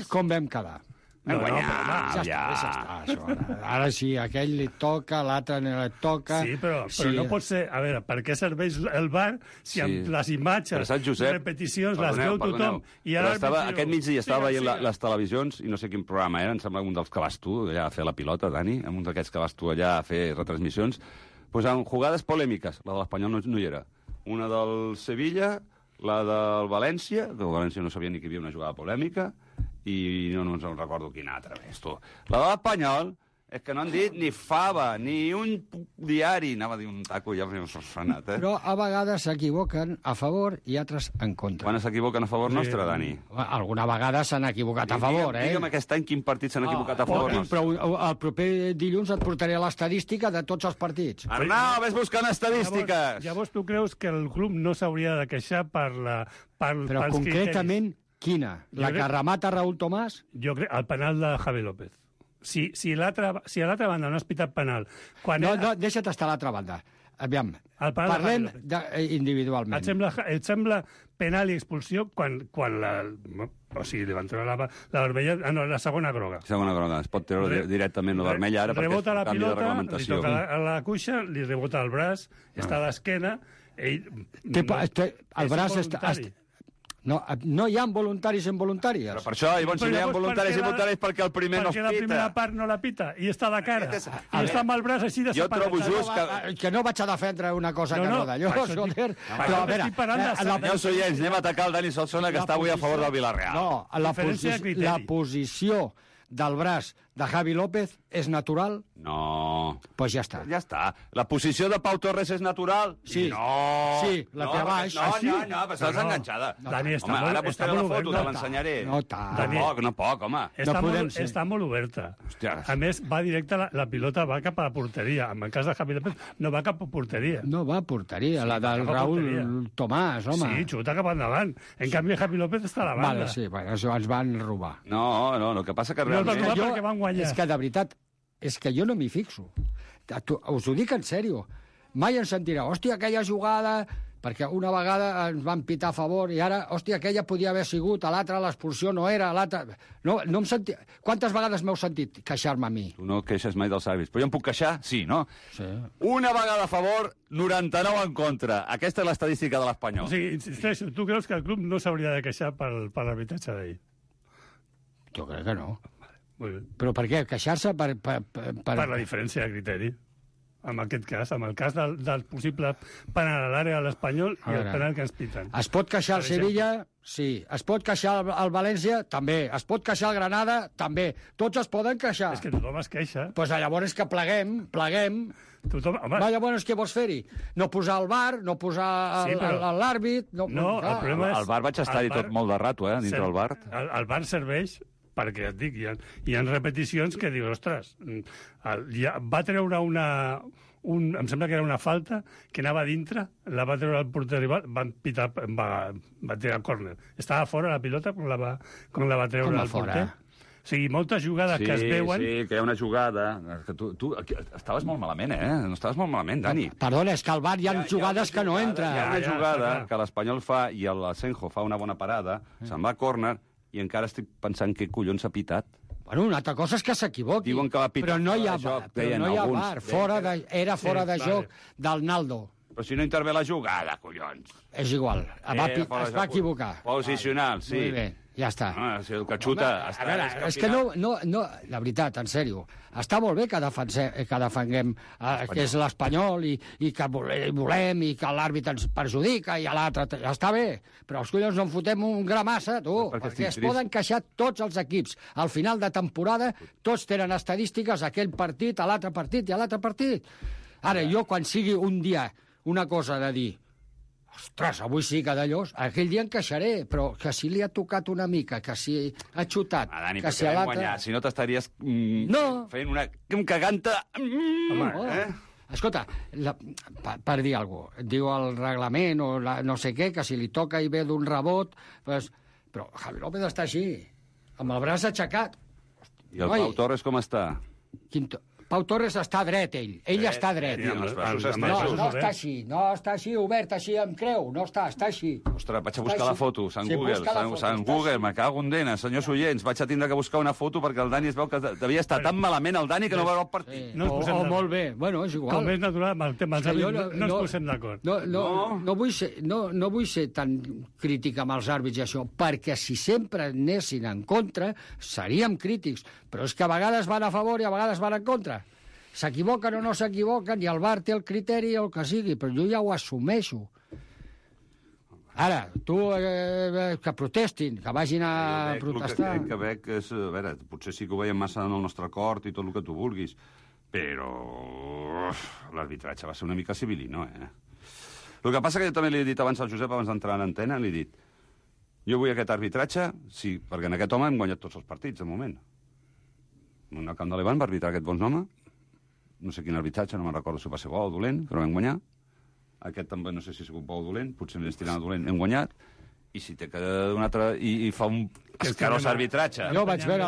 com vam quedar? Vam guanyar, ja està, això. Ara sí, aquell li toca, l'altre no li toca... Sí, però no pot ser... A veure, per què serveix el VAR si amb les imatges, repeticions, les veu tothom... Aquest migdia estava veient les televisions i no sé quin programa era, em sembla un dels que vas tu allà a fer la pilota, Dani, un d'aquests que vas tu allà a fer retransmissions, pues en jugades polèmiques, la de l'Espanyol no hi era. Una del Sevilla, la del València, que el València no sabia ni que hi havia una jugada polèmica, i no ens en recordo quina altra més, tu. La de l'Espanyol és que no han dit ni fava, ni un diari, anava a dir un taco, ja m'he sonat, Però a vegades s'equivoquen a favor i altres en contra. Quan s'equivoquen a favor nostre, Dani? Alguna vegada s'han equivocat a favor, Digue'm aquest any quin partit s'han equivocat a favor nostre. Però el proper dilluns et portaré l'estadística de tots els partits. Arnau, ves buscant estadístiques! Llavors tu creus que el club no s'hauria de queixar Però concretament, quina? La que remata Raúl Tomàs? Jo crec el penal de Javi López. Si a l'altra banda no has pitat penal... No, deixa't estar a l'altra banda. Aviam, parlem individualment. Et sembla penal i expulsió quan li van treure la vermella... No, la segona groga. Segona groga. Es pot treure directament la vermella ara perquè és un canvi de reglamentació. Li toca a la cuixa, li rebota el braç, està a l'esquena... El braç està... No hi ha voluntaris involuntàries. Però per això, llavors, si no hi ha voluntaris involuntaris perquè el primer no es pita. Perquè la primera part no la pita i està de cara. I està amb el braç així de separat. Jo trobo just que no vaig a defendre una cosa que no d'allò, Soler. Però a veure... Senyors oients, anem a atacar el Dani Solsona, que està avui a favor del Villarreal. No, la posició del braç de Javi López és natural? No. Pues ja està. Ja està. La posició de Pau Torres és natural? Sí. No. Sí, la té a baix. No, però estàs enganxada. Dani, home, ara buscaré la foto, te l'ensenyaré. No tant. No poc, home. Està molt oberta. A més, va directe, la pilota va cap a la porteria. En el cas de Javi López, no va cap a porteria. No va a porteria, la del Raúl Tomàs, home. Sí, xuta cap endavant. En canvi, Javi López està a la banda. Vale, sí, això ens van robar. No, el que passa que realment... És que, de veritat, és que jo no m'hi fixo. Us ho dic en sèrio. Mai ens sentirà, hòstia, aquella jugada... Perquè una vegada ens van pitar a favor i ara, hòstia, aquella podia haver sigut, a l'altra l'expulsió no era, a l'altra... No em senti... Quantes vegades m'heu sentit queixar-me a mi? Tu no queixes mai dels àrbits, però jo em puc queixar? Sí, no? Sí. Una vegada a favor, 99 en contra. Aquesta és l'estadística de l'Espanyol. O sigui, insisteixo, tu creus que el club no s'hauria de queixar per l'arbitratge d'ahir? Jo crec que no. Molt bé. Però per què? Queixar-se per... Per la diferència de criteri. En aquest cas, en el cas del possible penal a l'àrea de l'Espanyol i el penal que ens piten. Es pot queixar el Sevilla? Sí. Es pot queixar el València? També. Es pot queixar el Granada? També. Tots es poden queixar. És que tothom es queixa. Doncs llavors que pleguem. Tothom, home... Llavors què vols fer-hi? No posar el VAR, no posar l'àrbit... No, el problema és... El VAR vaig estar-hi tot molt de rato, dintre del VAR. El VAR serveix... perquè et dic, hi ha repeticions que dius, ostres, va treure em sembla que era una falta, que anava dintre, la va treure el porter rival, va tirar córner. Estava fora la pilota quan la va treure el porter. O sigui, moltes jugades que es veuen... Sí, que hi ha una jugada... Tu estaves molt malament, No estaves molt malament, Dani. Perdona, és que al VAR hi ha jugades que no entren. Hi ha una jugada que l'Espanyol fa i l'Asenjo fa una bona parada, se'n va a córner, i encara estic pensant què collons ha pitat. Bueno, una altra cosa és que s'equivoqui. Diuen que va pitar però no hi ha VAR. Era fora de joc del Naldo. Però si no intervé la jugada, collons. És igual, es va equivocar. Posicional, sí. Molt bé, ja està. Si el que xuta... A veure, és que no, la veritat, en sèrio, està molt bé que defenguem que és l'Espanyol i que volem i que l'àrbit ens perjudica i a l'altre... Ja està bé, però els collons no en fotem un gra massa, tu, perquè es poden queixar tots els equips. Al final de temporada tots tenen estadístiques, aquell partit, a l'altre partit i a l'altre partit. Ara, jo, quan sigui un dia una cosa de dir ostres, avui sí que d'allòs, aquell dia em queixaré, però que si li ha tocat una mica, que si ha xutat... Dani, que si l'altre... guanyar, si no t'estaries fent una caganta... Escolta, per dir alguna cosa, diu el reglament o no sé què, que si li toca i ve d'un rebot... Però Javi López està així, amb el braç aixecat. I el Pau Torres com està? Pau Torres està dret, ell està dret. No està així, no està així, obert, així amb creu, no està així. Ostres, vaig a buscar la foto, Sant Google, me cago en dena, senyors oients, vaig a tindre que buscar una foto perquè el Dani es veu que devia estar tan malament el Dani que no va veure el partit. Molt bé, bueno, és igual. Com és natural, amb el tema dels àrbits no ens posem d'acord. No vull ser tan crític amb els àrbits i això, perquè si sempre anessin en contra, seríem crítics, però és que a vegades van a favor i a vegades van en contra. S'equivoquen o no s'equivoquen, i el VAR té el criteri o el que sigui, però jo ja ho assumeixo. Ara, tu, que protestin, que vagin a protestar. El que veig és... A veure, potser sí que ho veiem massa en el nostre acord i tot el que tu vulguis, però l'arbitratge va ser una mica civilino, El que passa que jo també li he dit abans al Josep, abans d'entrar a l'antena, li he dit, jo vull aquest arbitratge, sí, perquè en aquest home hem guanyat tots els partits, de moment. En el camp de l'Ivan va arbitrar aquest bon home, no sé quin arbitratge, no me'n recordo si va ser bo o dolent, però vam guanyar. Aquest també no sé si ha sigut bo o dolent, potser més tirant dolent, hem guanyat, i si té que un altre... I fa un escarós arbitratge. Jo vaig veure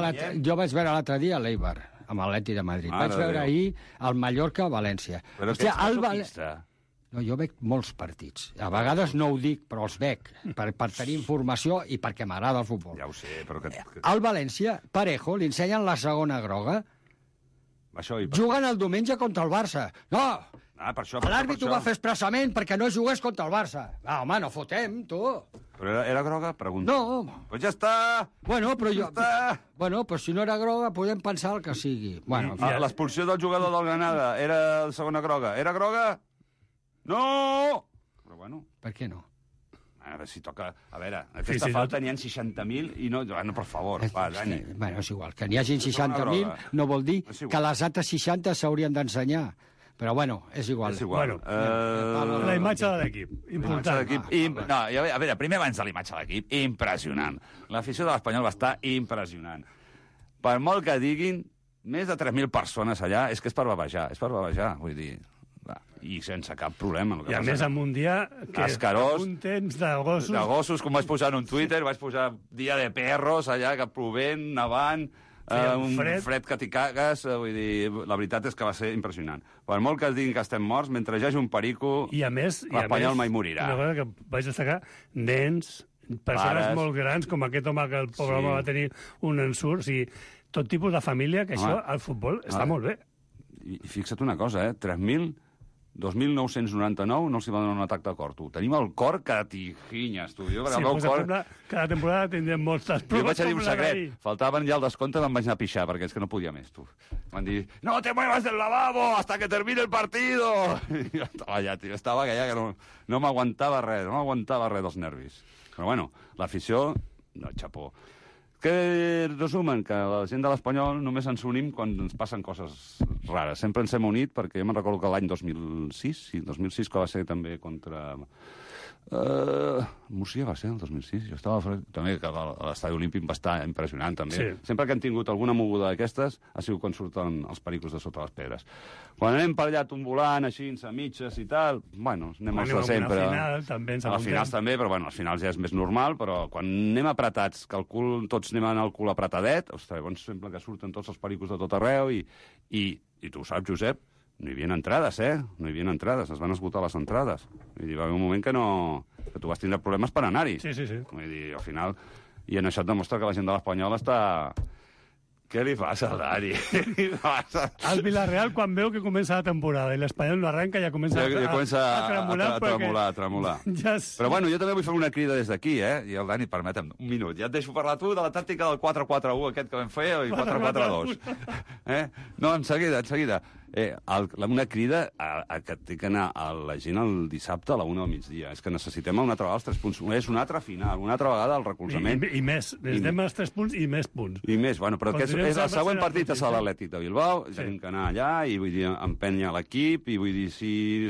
l'altre dia l'Eibar, amb l'Atleti de Madrid. Vaig veure ahir el Mallorca-València. Però que ets masoquista. No, jo veig molts partits. A vegades no ho dic, però els veig, per tenir informació i perquè m'agrada el futbol. Ja ho sé, però que... Al València, Parejo, li ensenyen la segona groga. Juguen el diumenge contra el Barça. No! L'àrbit ho va fer expressament perquè no jugués contra el Barça. Home, no fotem, tu. Però era groga? Pregunta. No. Pues ja està. Bueno, però però si no era groga, podem pensar el que sigui. L'expulsió del jugador del Granada era la segona groga. Era groga? No! Però bueno. Per què no? A veure, si toca... A veure, aquesta falta n'hi ha 60.000 i no... Per favor, va, Dani. Bueno, és igual. Que n'hi hagi 60.000 no vol dir que les altres 60 s'haurien d'ensenyar. Però, bueno, és igual. La imatge de l'equip. Important. No, a veure, primer abans de la imatge de l'equip, impressionant. L'afició de l'Espanyol va estar impressionant. Per molt que diguin, més de 3.000 persones allà, és que és per bavejar, vull dir... I sense cap problema. I a més amb un dia que un temps de gossos... De gossos, com vaig posar en un Twitter, vaig posar dia de perros allà, que plovent, nevant... un fred que t'hi cagues, vull dir, la veritat és que va ser impressionant. Per molt que es diguin que estem morts, mentre hi hagi un perico, l'Espanyol mai morirà. Una cosa que vaig destacar, nens, persones molt grans, com aquest home que el pobre home va tenir un ensurt, o sigui, tot tipus de família, que això al futbol està molt bé. I fixa't una cosa, 2.999 no els hi va donar un atac de cor, tu. Tenim el cor que tijinyes, tu. Cada temporada tindrem moltes proves. Jo vaig dir un secret. Faltaven ja el descompte, me'n vaig anar a pixar, perquè és que no podia més, tu. Van dir, no te muevas del lavabo hasta que termine el partido. I jo estava allà, tio. Estava que no m'aguantava res, dels nervis. Però bueno, l'afició, no, xapó. Que resumen que la gent de l'Espanyol només ens unim quan ens passen coses rares. Sempre ens hem unit, perquè jo me'n recordo que l'any 2006, que va ser també contra... Múrcia va ser el 2006, jo estava també que l'estadi olímpic va estar impressionant també. Sí. Sempre que han tingut alguna moguda d'aquestes ha sigut quan surten els pericos de sota les pedres. Quan anem per allà tombolant així, a mitges i tal, bueno, anem als de sempre. Al final també, però bueno, als finals ja és més normal, però quan anem apretats, que el cul, tots anem amb el cul apretadet, ostres, llavors sembla que surten tots els pericos de tot arreu i tu ho saps, Josep, no hi havia entrades, no hi havia entrades, es van esgotar les entrades. Vull dir, va haver un moment que tu vas tindre problemes per anar-hi. Sí. Vull dir, al final... I en això et demostra que la gent de l'Espanyol està... Què li passa al Dani? El Villarreal, quan veu que comença la temporada i l'Espanyol no arrenca, ja comença a tremolar. Però bueno, jo també vull fer una crida des d'aquí, i el Dani, permetem un minut. Ja et deixo parlar tu de la tàctica del 4-4-1 aquest que vam fer, i 4-4-2. No, en seguida. Una crida que té que anar a la gent el dissabte a la 1 del migdia. És que necessitem una altra vegada els 3 punts. És una altra final, una altra vegada el recolzament. I més. Necessitem els 3 punts i més punts. I més, bueno, però el següent partit és l'Atlètic de Bilbao, tenim que anar allà i vull dir, empènyer l'equip i vull dir,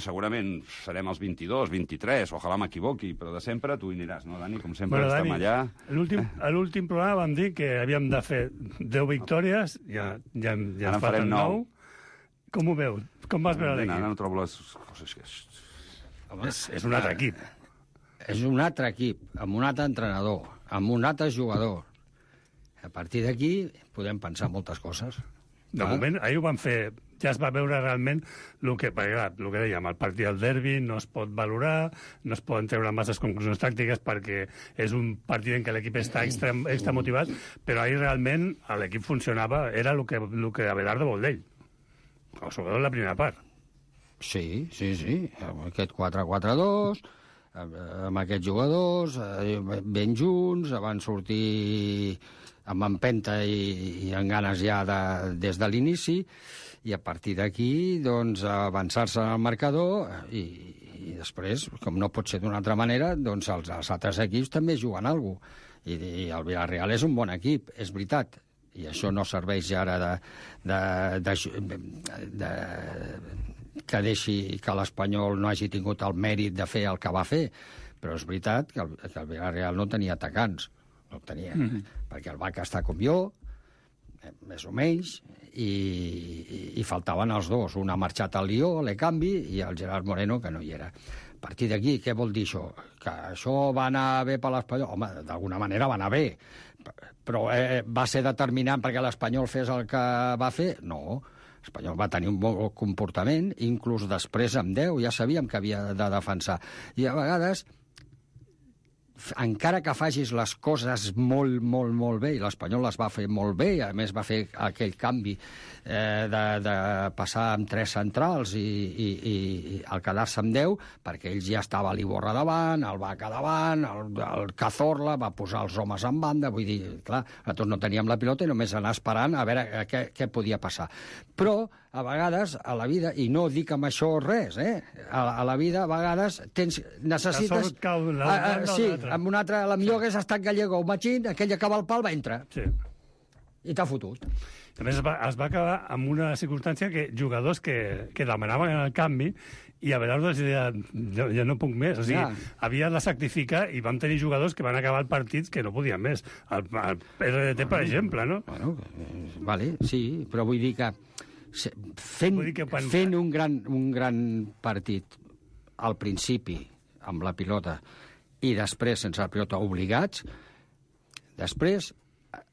segurament serem els 22, 23, ojalà m'equivoqui, però de sempre tu hi aniràs, no, Dani? Com sempre estem allà. A l'últim programa vam dir que havíem de fer 10 victòries, ja en falten 9. Com ho veus? Com vas veure l'equip? Ara no trobo les coses que... És un altre equip. És un altre equip, amb un altre entrenador, amb un altre jugador. A partir d'aquí podem pensar moltes coses. De moment, ahir ho van fer, ja es va veure realment el que dèiem, el partit del derbi no es pot valorar, no es poden treure masses conclusions tàctiques perquè és un partit en què l'equip està extra motivat, però ahir realment l'equip funcionava, era el que Abelardo vol d'ell. Sobretot la primera part. Sí. Aquest 4-4-2, amb aquests jugadors, ben junts, van sortir amb empenta i amb ganes ja des de l'inici, i a partir d'aquí, doncs, avançar-se en el marcador i I després, com no pot ser d'una altra manera, doncs els altres equips també juguen alguna cosa. I el Villarreal és un bon equip, és veritat. I això no serveix ja ara que deixi que l'Espanyol no hagi tingut el mèrit de fer el que va fer. Però és veritat que el Villarreal no tenia atacants. No el tenia. Perquè el Vaca està com jo, més o menys, i faltaven els dos. Un ha marxat al Lió, a l'Ecanvi, i el Gerard Moreno, que no hi era. A partir d'aquí, què vol dir això? Que això va anar bé per l'Espanyol? Home, d'alguna manera va anar bé. Però va ser determinant perquè l'Espanyol fes el que va fer? No. L'Espanyol va tenir un bon comportament, inclús després amb 10, ja sabíem que havia de defensar. I a vegades, encara que facis les coses molt, molt, molt bé, i l'Espanyol les va fer molt bé, i a més va fer aquell canvi de passar amb 3 centrals i al quedar-se amb 10, perquè ells ja estava l'Iborra davant, el Vaca davant, el Cazorla, va posar els homes en banda, vull dir, clar, nosaltres no teníem la pilota i només anar esperant a veure què podia passar. Però, a vegades, a la vida, i no dic amb això res, a la vida, a vegades, necessites... Sí, amb un altre, la millor hagués estat Gallego o Machín, aquell que acaba el pal va entrar. Sí. I t'ha fotut. A més, es va acabar amb una circumstància que jugadors que demanaven el canvi i a vegades ja no puc més. O sigui, havia de sacrificar i vam tenir jugadors que van acabar el partit que no podien més. El RDT, per exemple, no? Bueno, vale, sí, però vull dir que fent un gran partit al principi amb la pilota i després sense la pilota obligats, després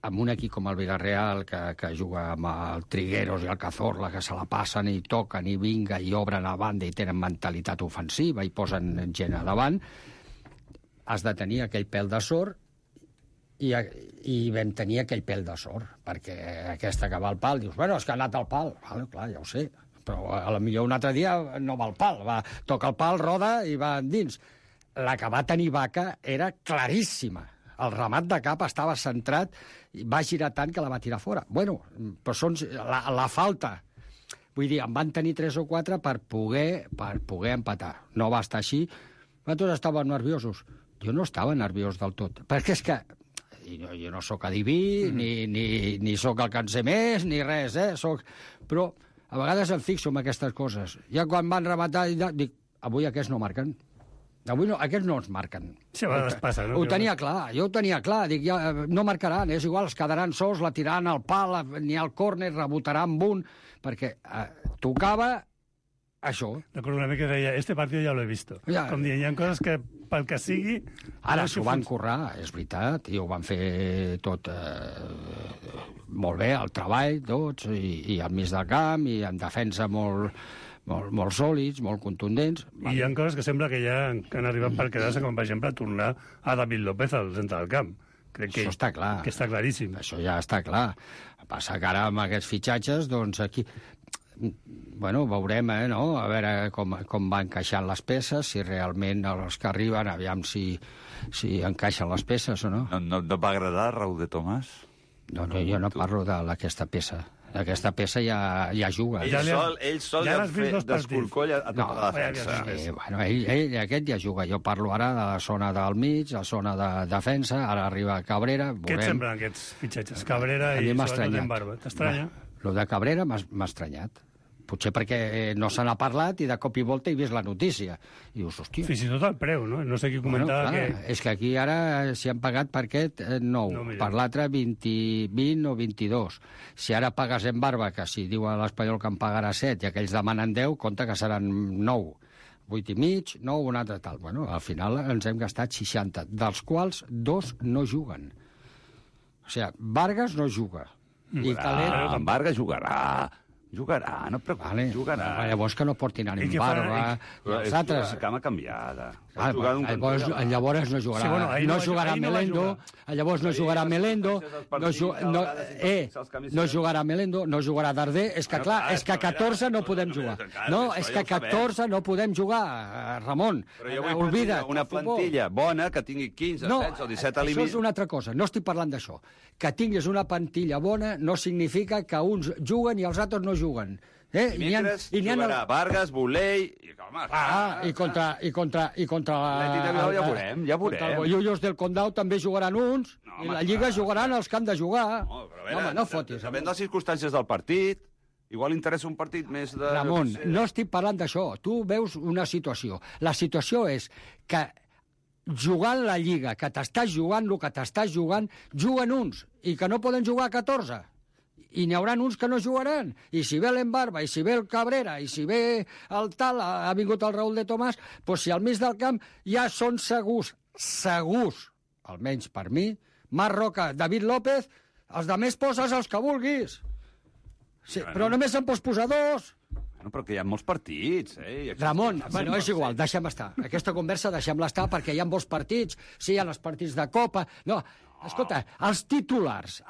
amb un equip com el Villarreal que juga amb el Trigueros i el Cazorla, que se la passen i toquen i vinga i obren a banda i tenen mentalitat ofensiva i posen gent a davant, has de tenir aquell pèl de sort i vam tenir aquell pèl de sort, perquè aquesta que va al pal, dius, bueno, és que ha anat al pal. Vale, clar, ja ho sé, però a la millor un altre dia no va al pal, toca el pal, roda i va endins. La que va tenir Vaca era claríssima. El remat de cap estava centrat i va girar tant que la va tirar fora. Bueno, però són la falta. Vull dir, en van tenir 3 o 4 per poder empatar. No va estar així. Nosaltres estàvem nerviosos. Jo no estava nerviós del tot. Perquè és que jo no sóc adiví, ni sóc el que en sé més, ni res, Però a vegades em fixo en aquestes coses. Ja quan van rematar, dic, avui aquests no marquen. Avui no, aquests no ens marquen. Sí, a vegades passa, no? Jo ho tenia clar. Dic, ja, no marcaran, és igual, es quedaran sols, la tiraran al pal, ni al córner, rebotaran amb un, perquè tocava això. Recordo una mica que deia, este partido ya lo he visto. Ja. Com dient, hi ha coses que, pel que sigui... Ara s'ho van currar, és veritat, i ho van fer tot molt bé, el treball, tots, i al mig del camp, i en defensa molt sòlids, molt contundents. I hi ha coses que sembla que ja han arribat per quedar-se, com per exemple tornar a David López al centre del camp. Crec que això està clar. Que està claríssim. Això ja està clar. Passa que ara amb aquests fitxatges, doncs aquí... Bueno, veurem, no? A veure com van encaixant les peces, si realment els que arriben, aviam si encaixen les peces o no. No et va agradar Raúl de Tomàs? No, jo no parlo d'aquesta peça. Aquesta peça ja juga. Ell sol ja d'escorcoll a tota la defensa. Bueno, ell aquest ja juga. Jo parlo ara de la zona del mig, la zona de defensa, ara arriba Cabrera. Què et semblen aquests fitxatges? Cabrera i sobretot en Barba. T'estranya? Lo de Cabrera m'ha estranyat. Potser perquè no se n'ha parlat i de cop i volta he vist la notícia. I dius, hòstia... Fins i tot el preu, no? No sé qui comentava que... És que aquí ara s'hi han pagat per aquest 9, per l'altre 20 o 22. Si ara pagues en Barba, que si diu a l'Espanyol que en pagarà 7 i aquells demanen 10, compta que seran 9. 8 i mig, 9, un altre tal. Bueno, al final ens hem gastat 60, dels quals 2 no juguen. O sigui, Vargas no juga. En Vargas jugarà, no et preocupis, jugarà. Llavors que no portin ànim Barba. És una cama canviada. Llavors no jugarà. No jugarà Melendo. Llavors no jugarà Melendo. No jugarà Melendo. No jugarà Darder. És que clar, és que 14 no podem jugar. No, és que 14 no podem jugar, Ramon. Oblida't. Una plantilla bona que tingui 15, 16 o 17 a això és una altra cosa. No estic parlant d'això. Que tinguis una plantilla bona no significa que uns juguen i els altres no juguen. Dimecres jugarà Vargas, Bolei... I contra L'Atlètic de Bilbao ja veurem. Contra el Bollullos del Condau també jugaran uns, i la Lliga jugaran els que han de jugar. Home, no fotis. Sabent les circumstàncies del partit, igual interessa un partit més de... Ramon, no estic parlant d'això. Tu veus una situació. La situació és que jugant la Lliga, que t'estàs jugant el que t'estàs jugant, juguen uns, i que no poden jugar 14. I n'hi haurà uns que no jugaran. I si ve l'Embarba, i si ve el Cabrera, i si ve el tal, ha vingut el Raúl de Tomàs, doncs si al mig del camp ja són segurs, almenys per mi, Marc Roca, David López, els de més poses els que vulguis. Sí, però només en pots posar 2. Bueno, però que hi ha molts partits, Ramon, bueno, és igual, deixem estar. Aquesta conversa deixem-la estar perquè hi ha molts partits, sí, hi ha els partits de Copa... No, escolta, els titulars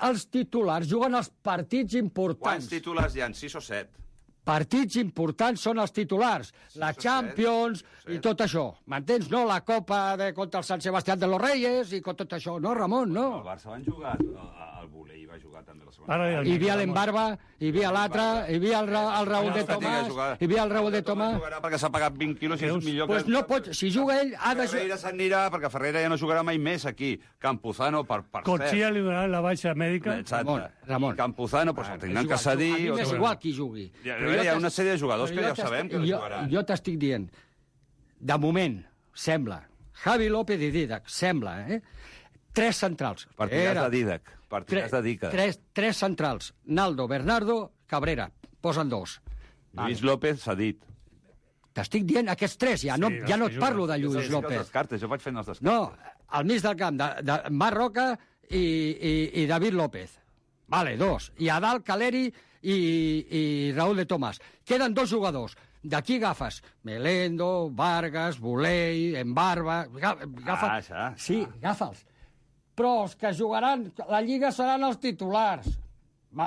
juguen els partits importants. Quants titulars hi ha? 6 o 7? Partits importants són els titulars. La Champions i tot això. M'entens? No la Copa contra el Sant Sebastián de los Reyes i tot això. No, Ramon, no. El Barça van jugar, el Volei va jugar també la segona. Hi havia l'Embarba, hi havia l'altre, hi havia el Raúl de Tomàs, hi havia el Raúl de Tomàs. Perquè s'ha pagat 20 quilos i és millor que... Pues no pot, si juga ell, ha de... Ferreira s'anirà, perquè Ferreira ja no jugarà mai més aquí. Campuzano, per cert. Cotxia li donaran la baixa mèdica. Ramon. Campuzano, pues el tindran que cedir. A mi m'és igual qui jugui. Hi ha una sèrie de jugadors que ja sabem que no jugaran. Jo t'estic dient, de moment, sembla, Javi López i Dídac, sembla, 3 centrals. Partidars de Dídac. Partidars de Dídac. 3 centrals. Naldo, Bernardo, Cabrera. Posen 2. Lluís López s'ha dit. T'estic dient aquests 3, ja no et parlo de Lluís López. Jo vaig fent els descartes. No, al mig del camp, de Marc Roca i David López. Vale, 2. I a dalt, Caleri i Raúl de Tomàs. Queden 2 jugadors. D'aquí agafes Melendo, Vargas, Bolei, Embarba... Sí, agafa'ls. Però els que jugaran la Lliga seran els titulars.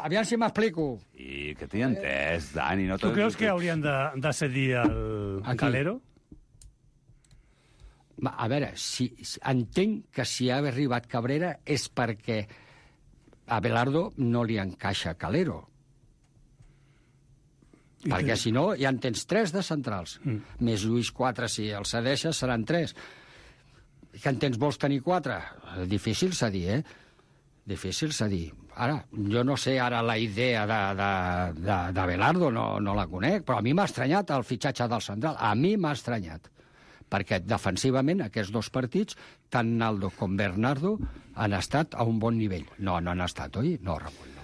Aviam si m'explico. I que t'hi entès, Dani. Tu creus que haurien de cedir el Calero? A veure, entenc que si ha arribat Cabrera és perquè a Belardo no li encaixa Calero. Perquè si no, ja en tens 3 de centrals. Més Lluís 4, si el cedeixes, seran 3. Que en tens vols tenir 4? Difícil cedir, Difícil cedir. Ara, jo no sé ara la idea de Belardo, no la conec, però a mi m'ha estranyat el fitxatge del central. A mi m'ha estranyat. Perquè defensivament aquests 2 partits, tant Naldo com Bernardo, han estat a un bon nivell. No han estat, oi? No, Ramon, no.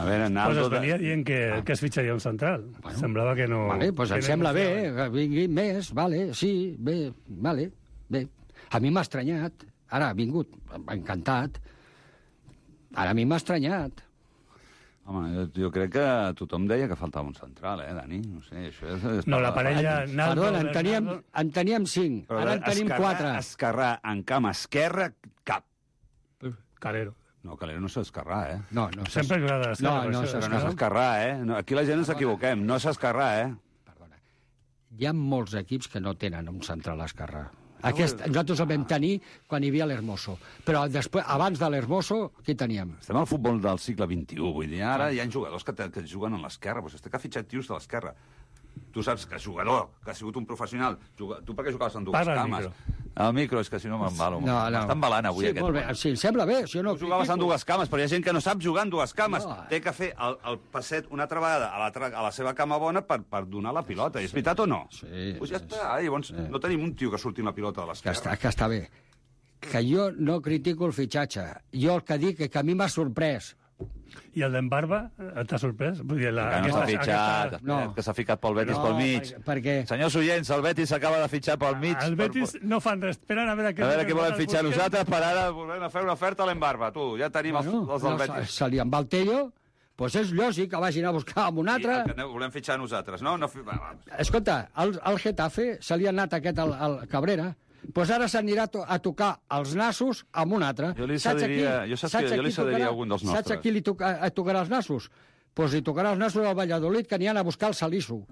A veure, Naldo... Pues es venia dient que es fitxaria un central. Bueno, semblava que no... Vale, pues em sembla bé, que vingui més, vale, sí, bé, vale, bé. A mi m'ha estranyat. Ara ha vingut, encantat. Ara a mi m'ha estranyat. Home, jo crec que tothom deia que faltava un central, Dani? No sé, això és... No, la parella... Perdona, en teníem 5, ara en tenim 4. Esquerrà en camp esquerre, cap. Calero. No, Calero no s'esquerrà, No, sempre és grada d'esquerra. No s'esquerrà, Aquí la gent ens equivoquem, no s'esquerrà, Perdona. Hi ha molts equips que no tenen un central esquerrà. Nosaltres el vam tenir quan hi havia l'Hermoso. Però després, abans de l'Hermoso, qui teníem? Estem al futbol del segle XXI, vull dir, ara hi ha jugadors que juguen a l'esquerra, doncs que ha fitxat tios de l'esquerra. Tu saps que jugador, que ha sigut un professional, tu per què jugaves en 2 cames? El micro, és que si no m'embalo. M'està embalant avui aquest. Molt bé, sí, em sembla bé. Tu jugaves en 2 cames, però hi ha gent que no sap jugar en 2 cames. Té que fer el passet una altra vegada a la seva cama bona per donar la pilota. És veritat o no? Sí. Doncs ja està, llavors no tenim un tio que surti amb la pilota de l'esquerra. Que està bé. Que jo no critico el fitxatge. Jo el que dic és que a mi m'ha sorprès. I el d'Embarba t'ha sorprès? Vull dir, que no s'ha fitxat, que s'ha ficat pel Betis pel mig. Perquè... Senyors oients, el Betis s'acaba de fitxar pel mig. El Betis no fan res, esperen a veure què volen fitxar nosaltres, per ara volem fer una oferta a l'Embarba. Tu, ja tenim els del Betis. Se li en va el Tello, doncs és lògic que vagin a buscar amb un altre. Volem fitxar nosaltres, no? Escolta, al Getafe se li ha anat aquest al Cabrera, doncs ara s'anirà a tocar els nassos amb un altre. Jo li cediria algun dels nostres. Saps a qui li tocarà els nassos? Doncs li tocarà els nassos al Valladolid, que n'hi han a buscar el Salisu.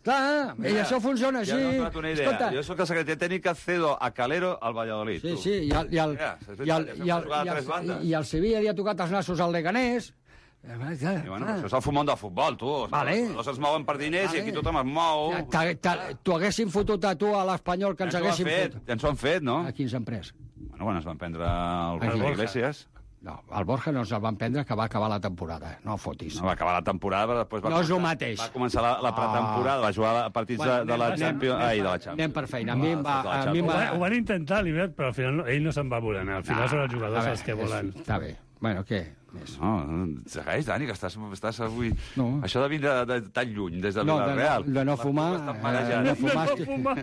Clar, i això funciona així. Ja m'ha donat una idea. Jo soc el secretari tècnic que cedo a Calero al Valladolid. Sí, i el Sevilla li ha tocat els nassos al Leganés, I, bueno, això és el fumón del futbol, tu. Els es mouen per diners i aquí tothom es mou. T'ho haguessin fotut a tu, a l'Espanyol, que ens haguessin fotut. Ja ens ho han fet, no? A qui ens han pres? Bueno, quan es van prendre el Borja Iglesias. No, el Borja no ens el van prendre, que va acabar la temporada. No fotis. No, va acabar la temporada, però després no és el mateix. Va començar la pretemporada, va jugar a partits de la Champions. Anem per feina. Ho van intentar, l'Ibert, però al final ell no se'n va voler anar. Al final són els jugadors els que volen. Està bé. Bueno, què? No, segueix, Dani, que estàs avui... No. Això de vindre tan lluny, des de Villarreal. De no fumar...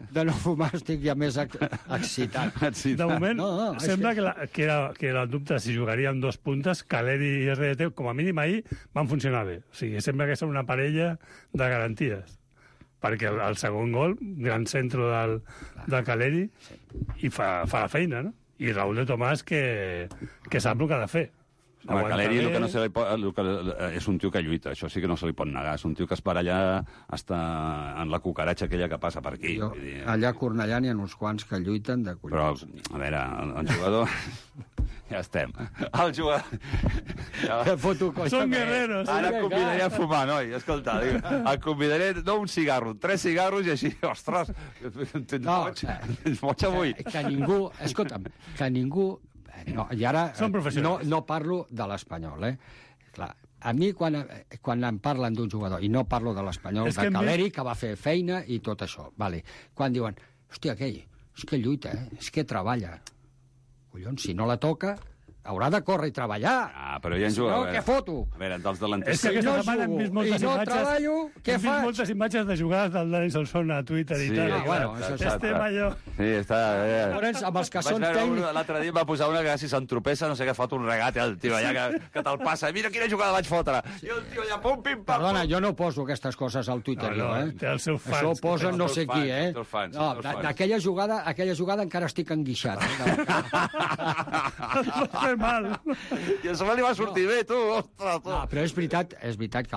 De no fumar estic ja més excitat. De moment, sembla que era el dubte si jugaria amb 2 puntes, Caleri i RDT, com a mínim ahir, van funcionar bé. O sigui, sembla que és una parella de garanties. Perquè el segon gol, gran centre del Caleri, i fa la feina, no? I Raúl de Tomàs, que sap el que ha de fer. Home, Caleri el que no se li pot, és un tio que lluita, això sí que no se li pot negar. És un tio que es para allà hasta en la cucaratxa aquella que passa per aquí. Allà a Cornellà n'hi ha uns quants que lluiten de collons. Però, a veure, el jugador... Ja estem. El jugador... Són guerreros. Ara et convidaré a fumar, noi. Escolta, et convidaré, no un cigarro, 3 cigarros i així, ostres, tens boig avui. Que ningú, escolta'm, que ningú... No, i ara no parlo de l'Espanyol, Clar, a mi quan em parlen d'un jugador, i no parlo de l'Espanyol, de Caleri, que va fer feina i tot això, quan diuen, hòstia, aquell, és que lluita, és que treballa. Collons, si no la toca, haurà de córrer i treballar. Però ja en juga. No, què foto? A veure, dels delanters... És que aquesta setmana hem vist moltes imatges... I no treballo, què faig? Hem vist moltes imatges de jugades del Dani Solsona a Twitter i tal. Bueno, això estem allò... Sí, està... Llavors, amb els que són tècnics... L'altre dia em va posar una que si s'entropessa, no sé què, fot un regate al tio allà que te'l passa. Mira quina jugada vaig fotre. I el tio allà, pum, pim, pam... Perdona, jo no poso aquestes coses al Twitter, té els seus fans. Això ho posen no sé qui, No, d'aquella jugada encara estic enguixat. Fer mal. I a sobre li va sortir bé, tu, ostres, tu. No, però és veritat que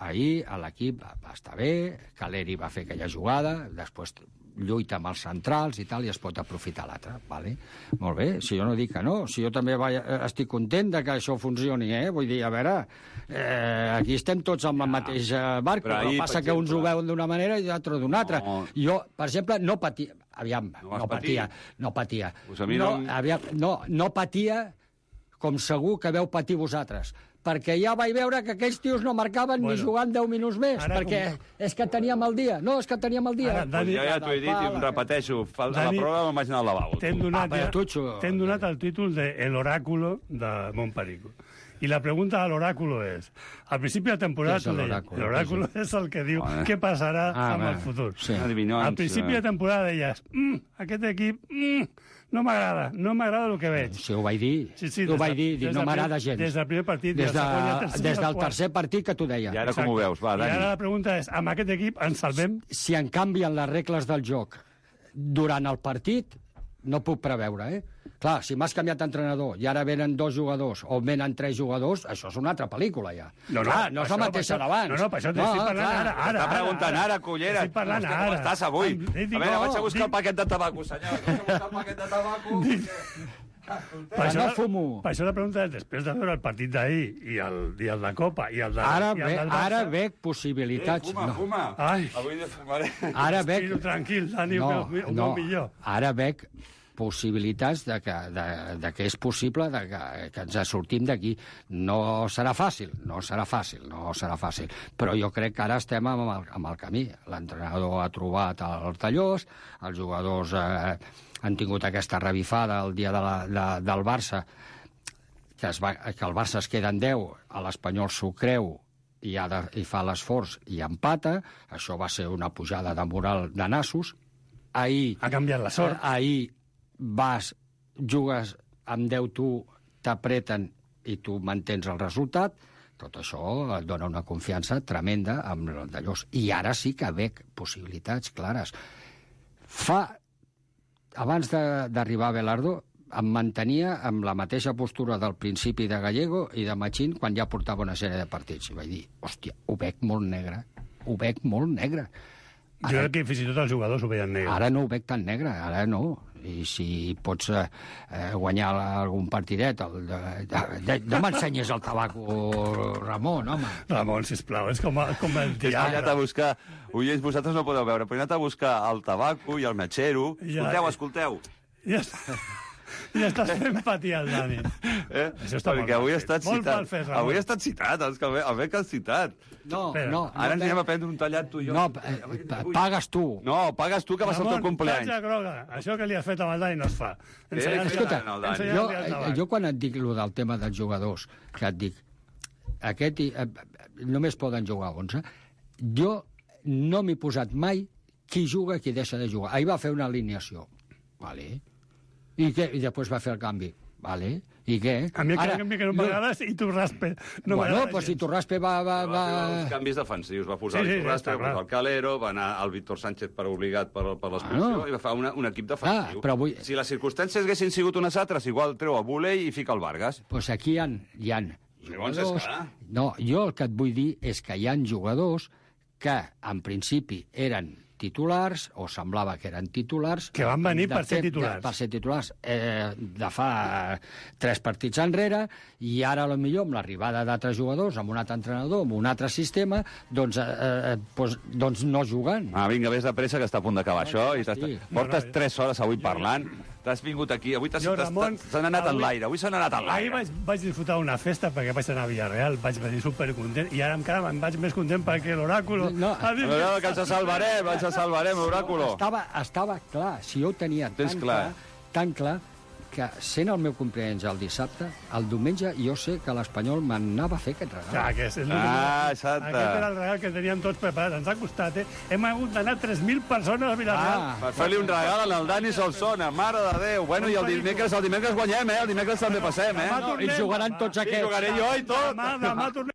ahir l'equip va estar bé, Caleri va fer aquella jugada, després lluita amb els centrals i tal, i es pot aprofitar l'altre, vale? Molt bé, si jo no dic que no, si jo també estic content de que això funcioni, vull dir, a veure, aquí estem tots amb el mateix barc, però passa que uns ho veuen d'una manera i d'altres d'una altra. Jo, per exemple, no patia, no patia com segur que veu patir vosaltres, perquè ja vaig veure que aquells tios no marcaven ni jugant 10 minuts més, perquè és que teníem el dia. No, és que teníem el dia. Ja t'ho he dit i em repeteixo. A la prova me'n vaig anar al lavabo. T'hem donat el títol de El Oráculo de Montperico. Y la pregunta al oráculo es, al principio de la temporada, el oráculo es el que diu què passarà amb el futur. Al principi de temporada deies, aquest equip no m'agrada el que veig. Sí, ho vaig dir, ho vaig dir, no m'agrada gens. Des del primer partit, des del tercer partit que t'ho deia. I ara com ho veus? Va, Dani. I ara la pregunta és, amb aquest equip ens salvem? Si en canvien les regles del joc durant el partit, no puc preveure, Clar, si m'has canviat d'entrenador i ara venen 2 jugadors o venen 3 jugadors, això és una altra pel·lícula, ja. No és la mateixa d'abans. No, per això t'estic parlant ara. Està preguntant ara, cullera. Estic parlant ara. Com estàs avui? A veure, vaig a buscar el paquet de tabaco, senyor. Vaig a buscar el paquet de tabaco. Per això la pregunta és, després de veure el partit d'ahir i el de Copa i el del Barça... Ara veig possibilitats... Fuma. Avui fumaré. Ara veig... Tranquil, Dani, un bon millor. Ara veig possibilitats de que és possible que ens sortim d'aquí. No serà fàcil, però jo crec que ara estem amb el camí. L'entrenador ha trobat els tallors, els jugadors han tingut aquesta revifada el dia del Barça, que el Barça es queda en 10, l'Espanyol s'ho creu i fa l'esforç i empata. Això va ser una pujada de moral de nassos. Ahir ha canviat la sort. Ahir jugues amb 10 tu, t'apreten i tu mantens el resultat. Tot això et dona una confiança tremenda amb el d'allòs. I ara sí que veig possibilitats clares. Abans d'arribar a Belardo, em mantenia amb la mateixa postura del principi de Gallego i de Machín quan ja portava una sèrie de partits. I vaig dir, hòstia, ho veig molt negre. Jo crec que fins i tot els jugadors ho veien negre. Ara no ho veig tan negre, ara no. I si pots guanyar algun partidet, no m'ensenyes el tabaco, Ramon, home. Ramon, sisplau, és com el diable. He anat a buscar, oients, vosaltres no podeu veure, però he anat a buscar el tabaco i el metxero. Escolteu. Ja estàs fent patir el Dani. Això està perquè avui he estat citat. Avui he estat citat, el bec has citat. No. Ara ens anem a prendre un tallat tu i jo. No, pagues tu. No, pagues tu, que va ser el teu compleany. Ramon, groga. Això que li has fet amb el Dani no es fa. Escolta, jo quan et dic el del tema dels jugadors, que et dic, només poden jugar 11, jo no m'he posat mai qui juga i qui deixa de jugar. Ahir va fer una alineació. Vale. I després va fer el canvi. Vale. I què? A mi el canvi que no m'agrada i Turraspe. Bueno, doncs si Turraspe va... Els canvis defensius. Va posar Turraspe, va posar el Calero, va anar el Víctor Sánchez per obligat per l'expulsió i va fer un equip defensiu. Si les circumstàncies haguessin sigut unes altres, igual treu a Buley i fica el Vargas. Doncs aquí hi ha jugadors... No, jo el que et vull dir és que hi ha jugadors que, en principi, eren titulars, o semblava que eren titulars... Que van venir per ser titulars. Per ser titulars de fa 3 partits enrere, i ara, potser amb l'arribada d'altres jugadors, amb un altre entrenador, amb un altre sistema, doncs no juguen. Vinga, vés de pressa, que està a punt d'acabar això. Portes 3 hores avui parlant. T'has vingut aquí. Avui s'han anat en l'aire. Avui s'han anat en l'aire. Ahir vaig disfrutar una festa perquè vaig anar a Villarreal, vaig venir supercontent, i ara encara me'n vaig més content perquè l'oràculo... Que ens salvarem, l'oràculo. Estava clar, si jo ho tenia tan clar, que sent el meu cumpleaños el dissabte, el diumenge jo sé que l'Espanyol m'anava a fer aquest regal. Aquest era el regal que teníem tots preparats. Ens ha costat, Hem hagut d'anar 3.000 persones a Villarreal. Per fer-li un regal al Dani Solsona, mare de Déu. Bueno, i el dimecres guanyem, el dimecres també passem, I jugaran tots aquests. I jugaré jo i tot. Demà tornem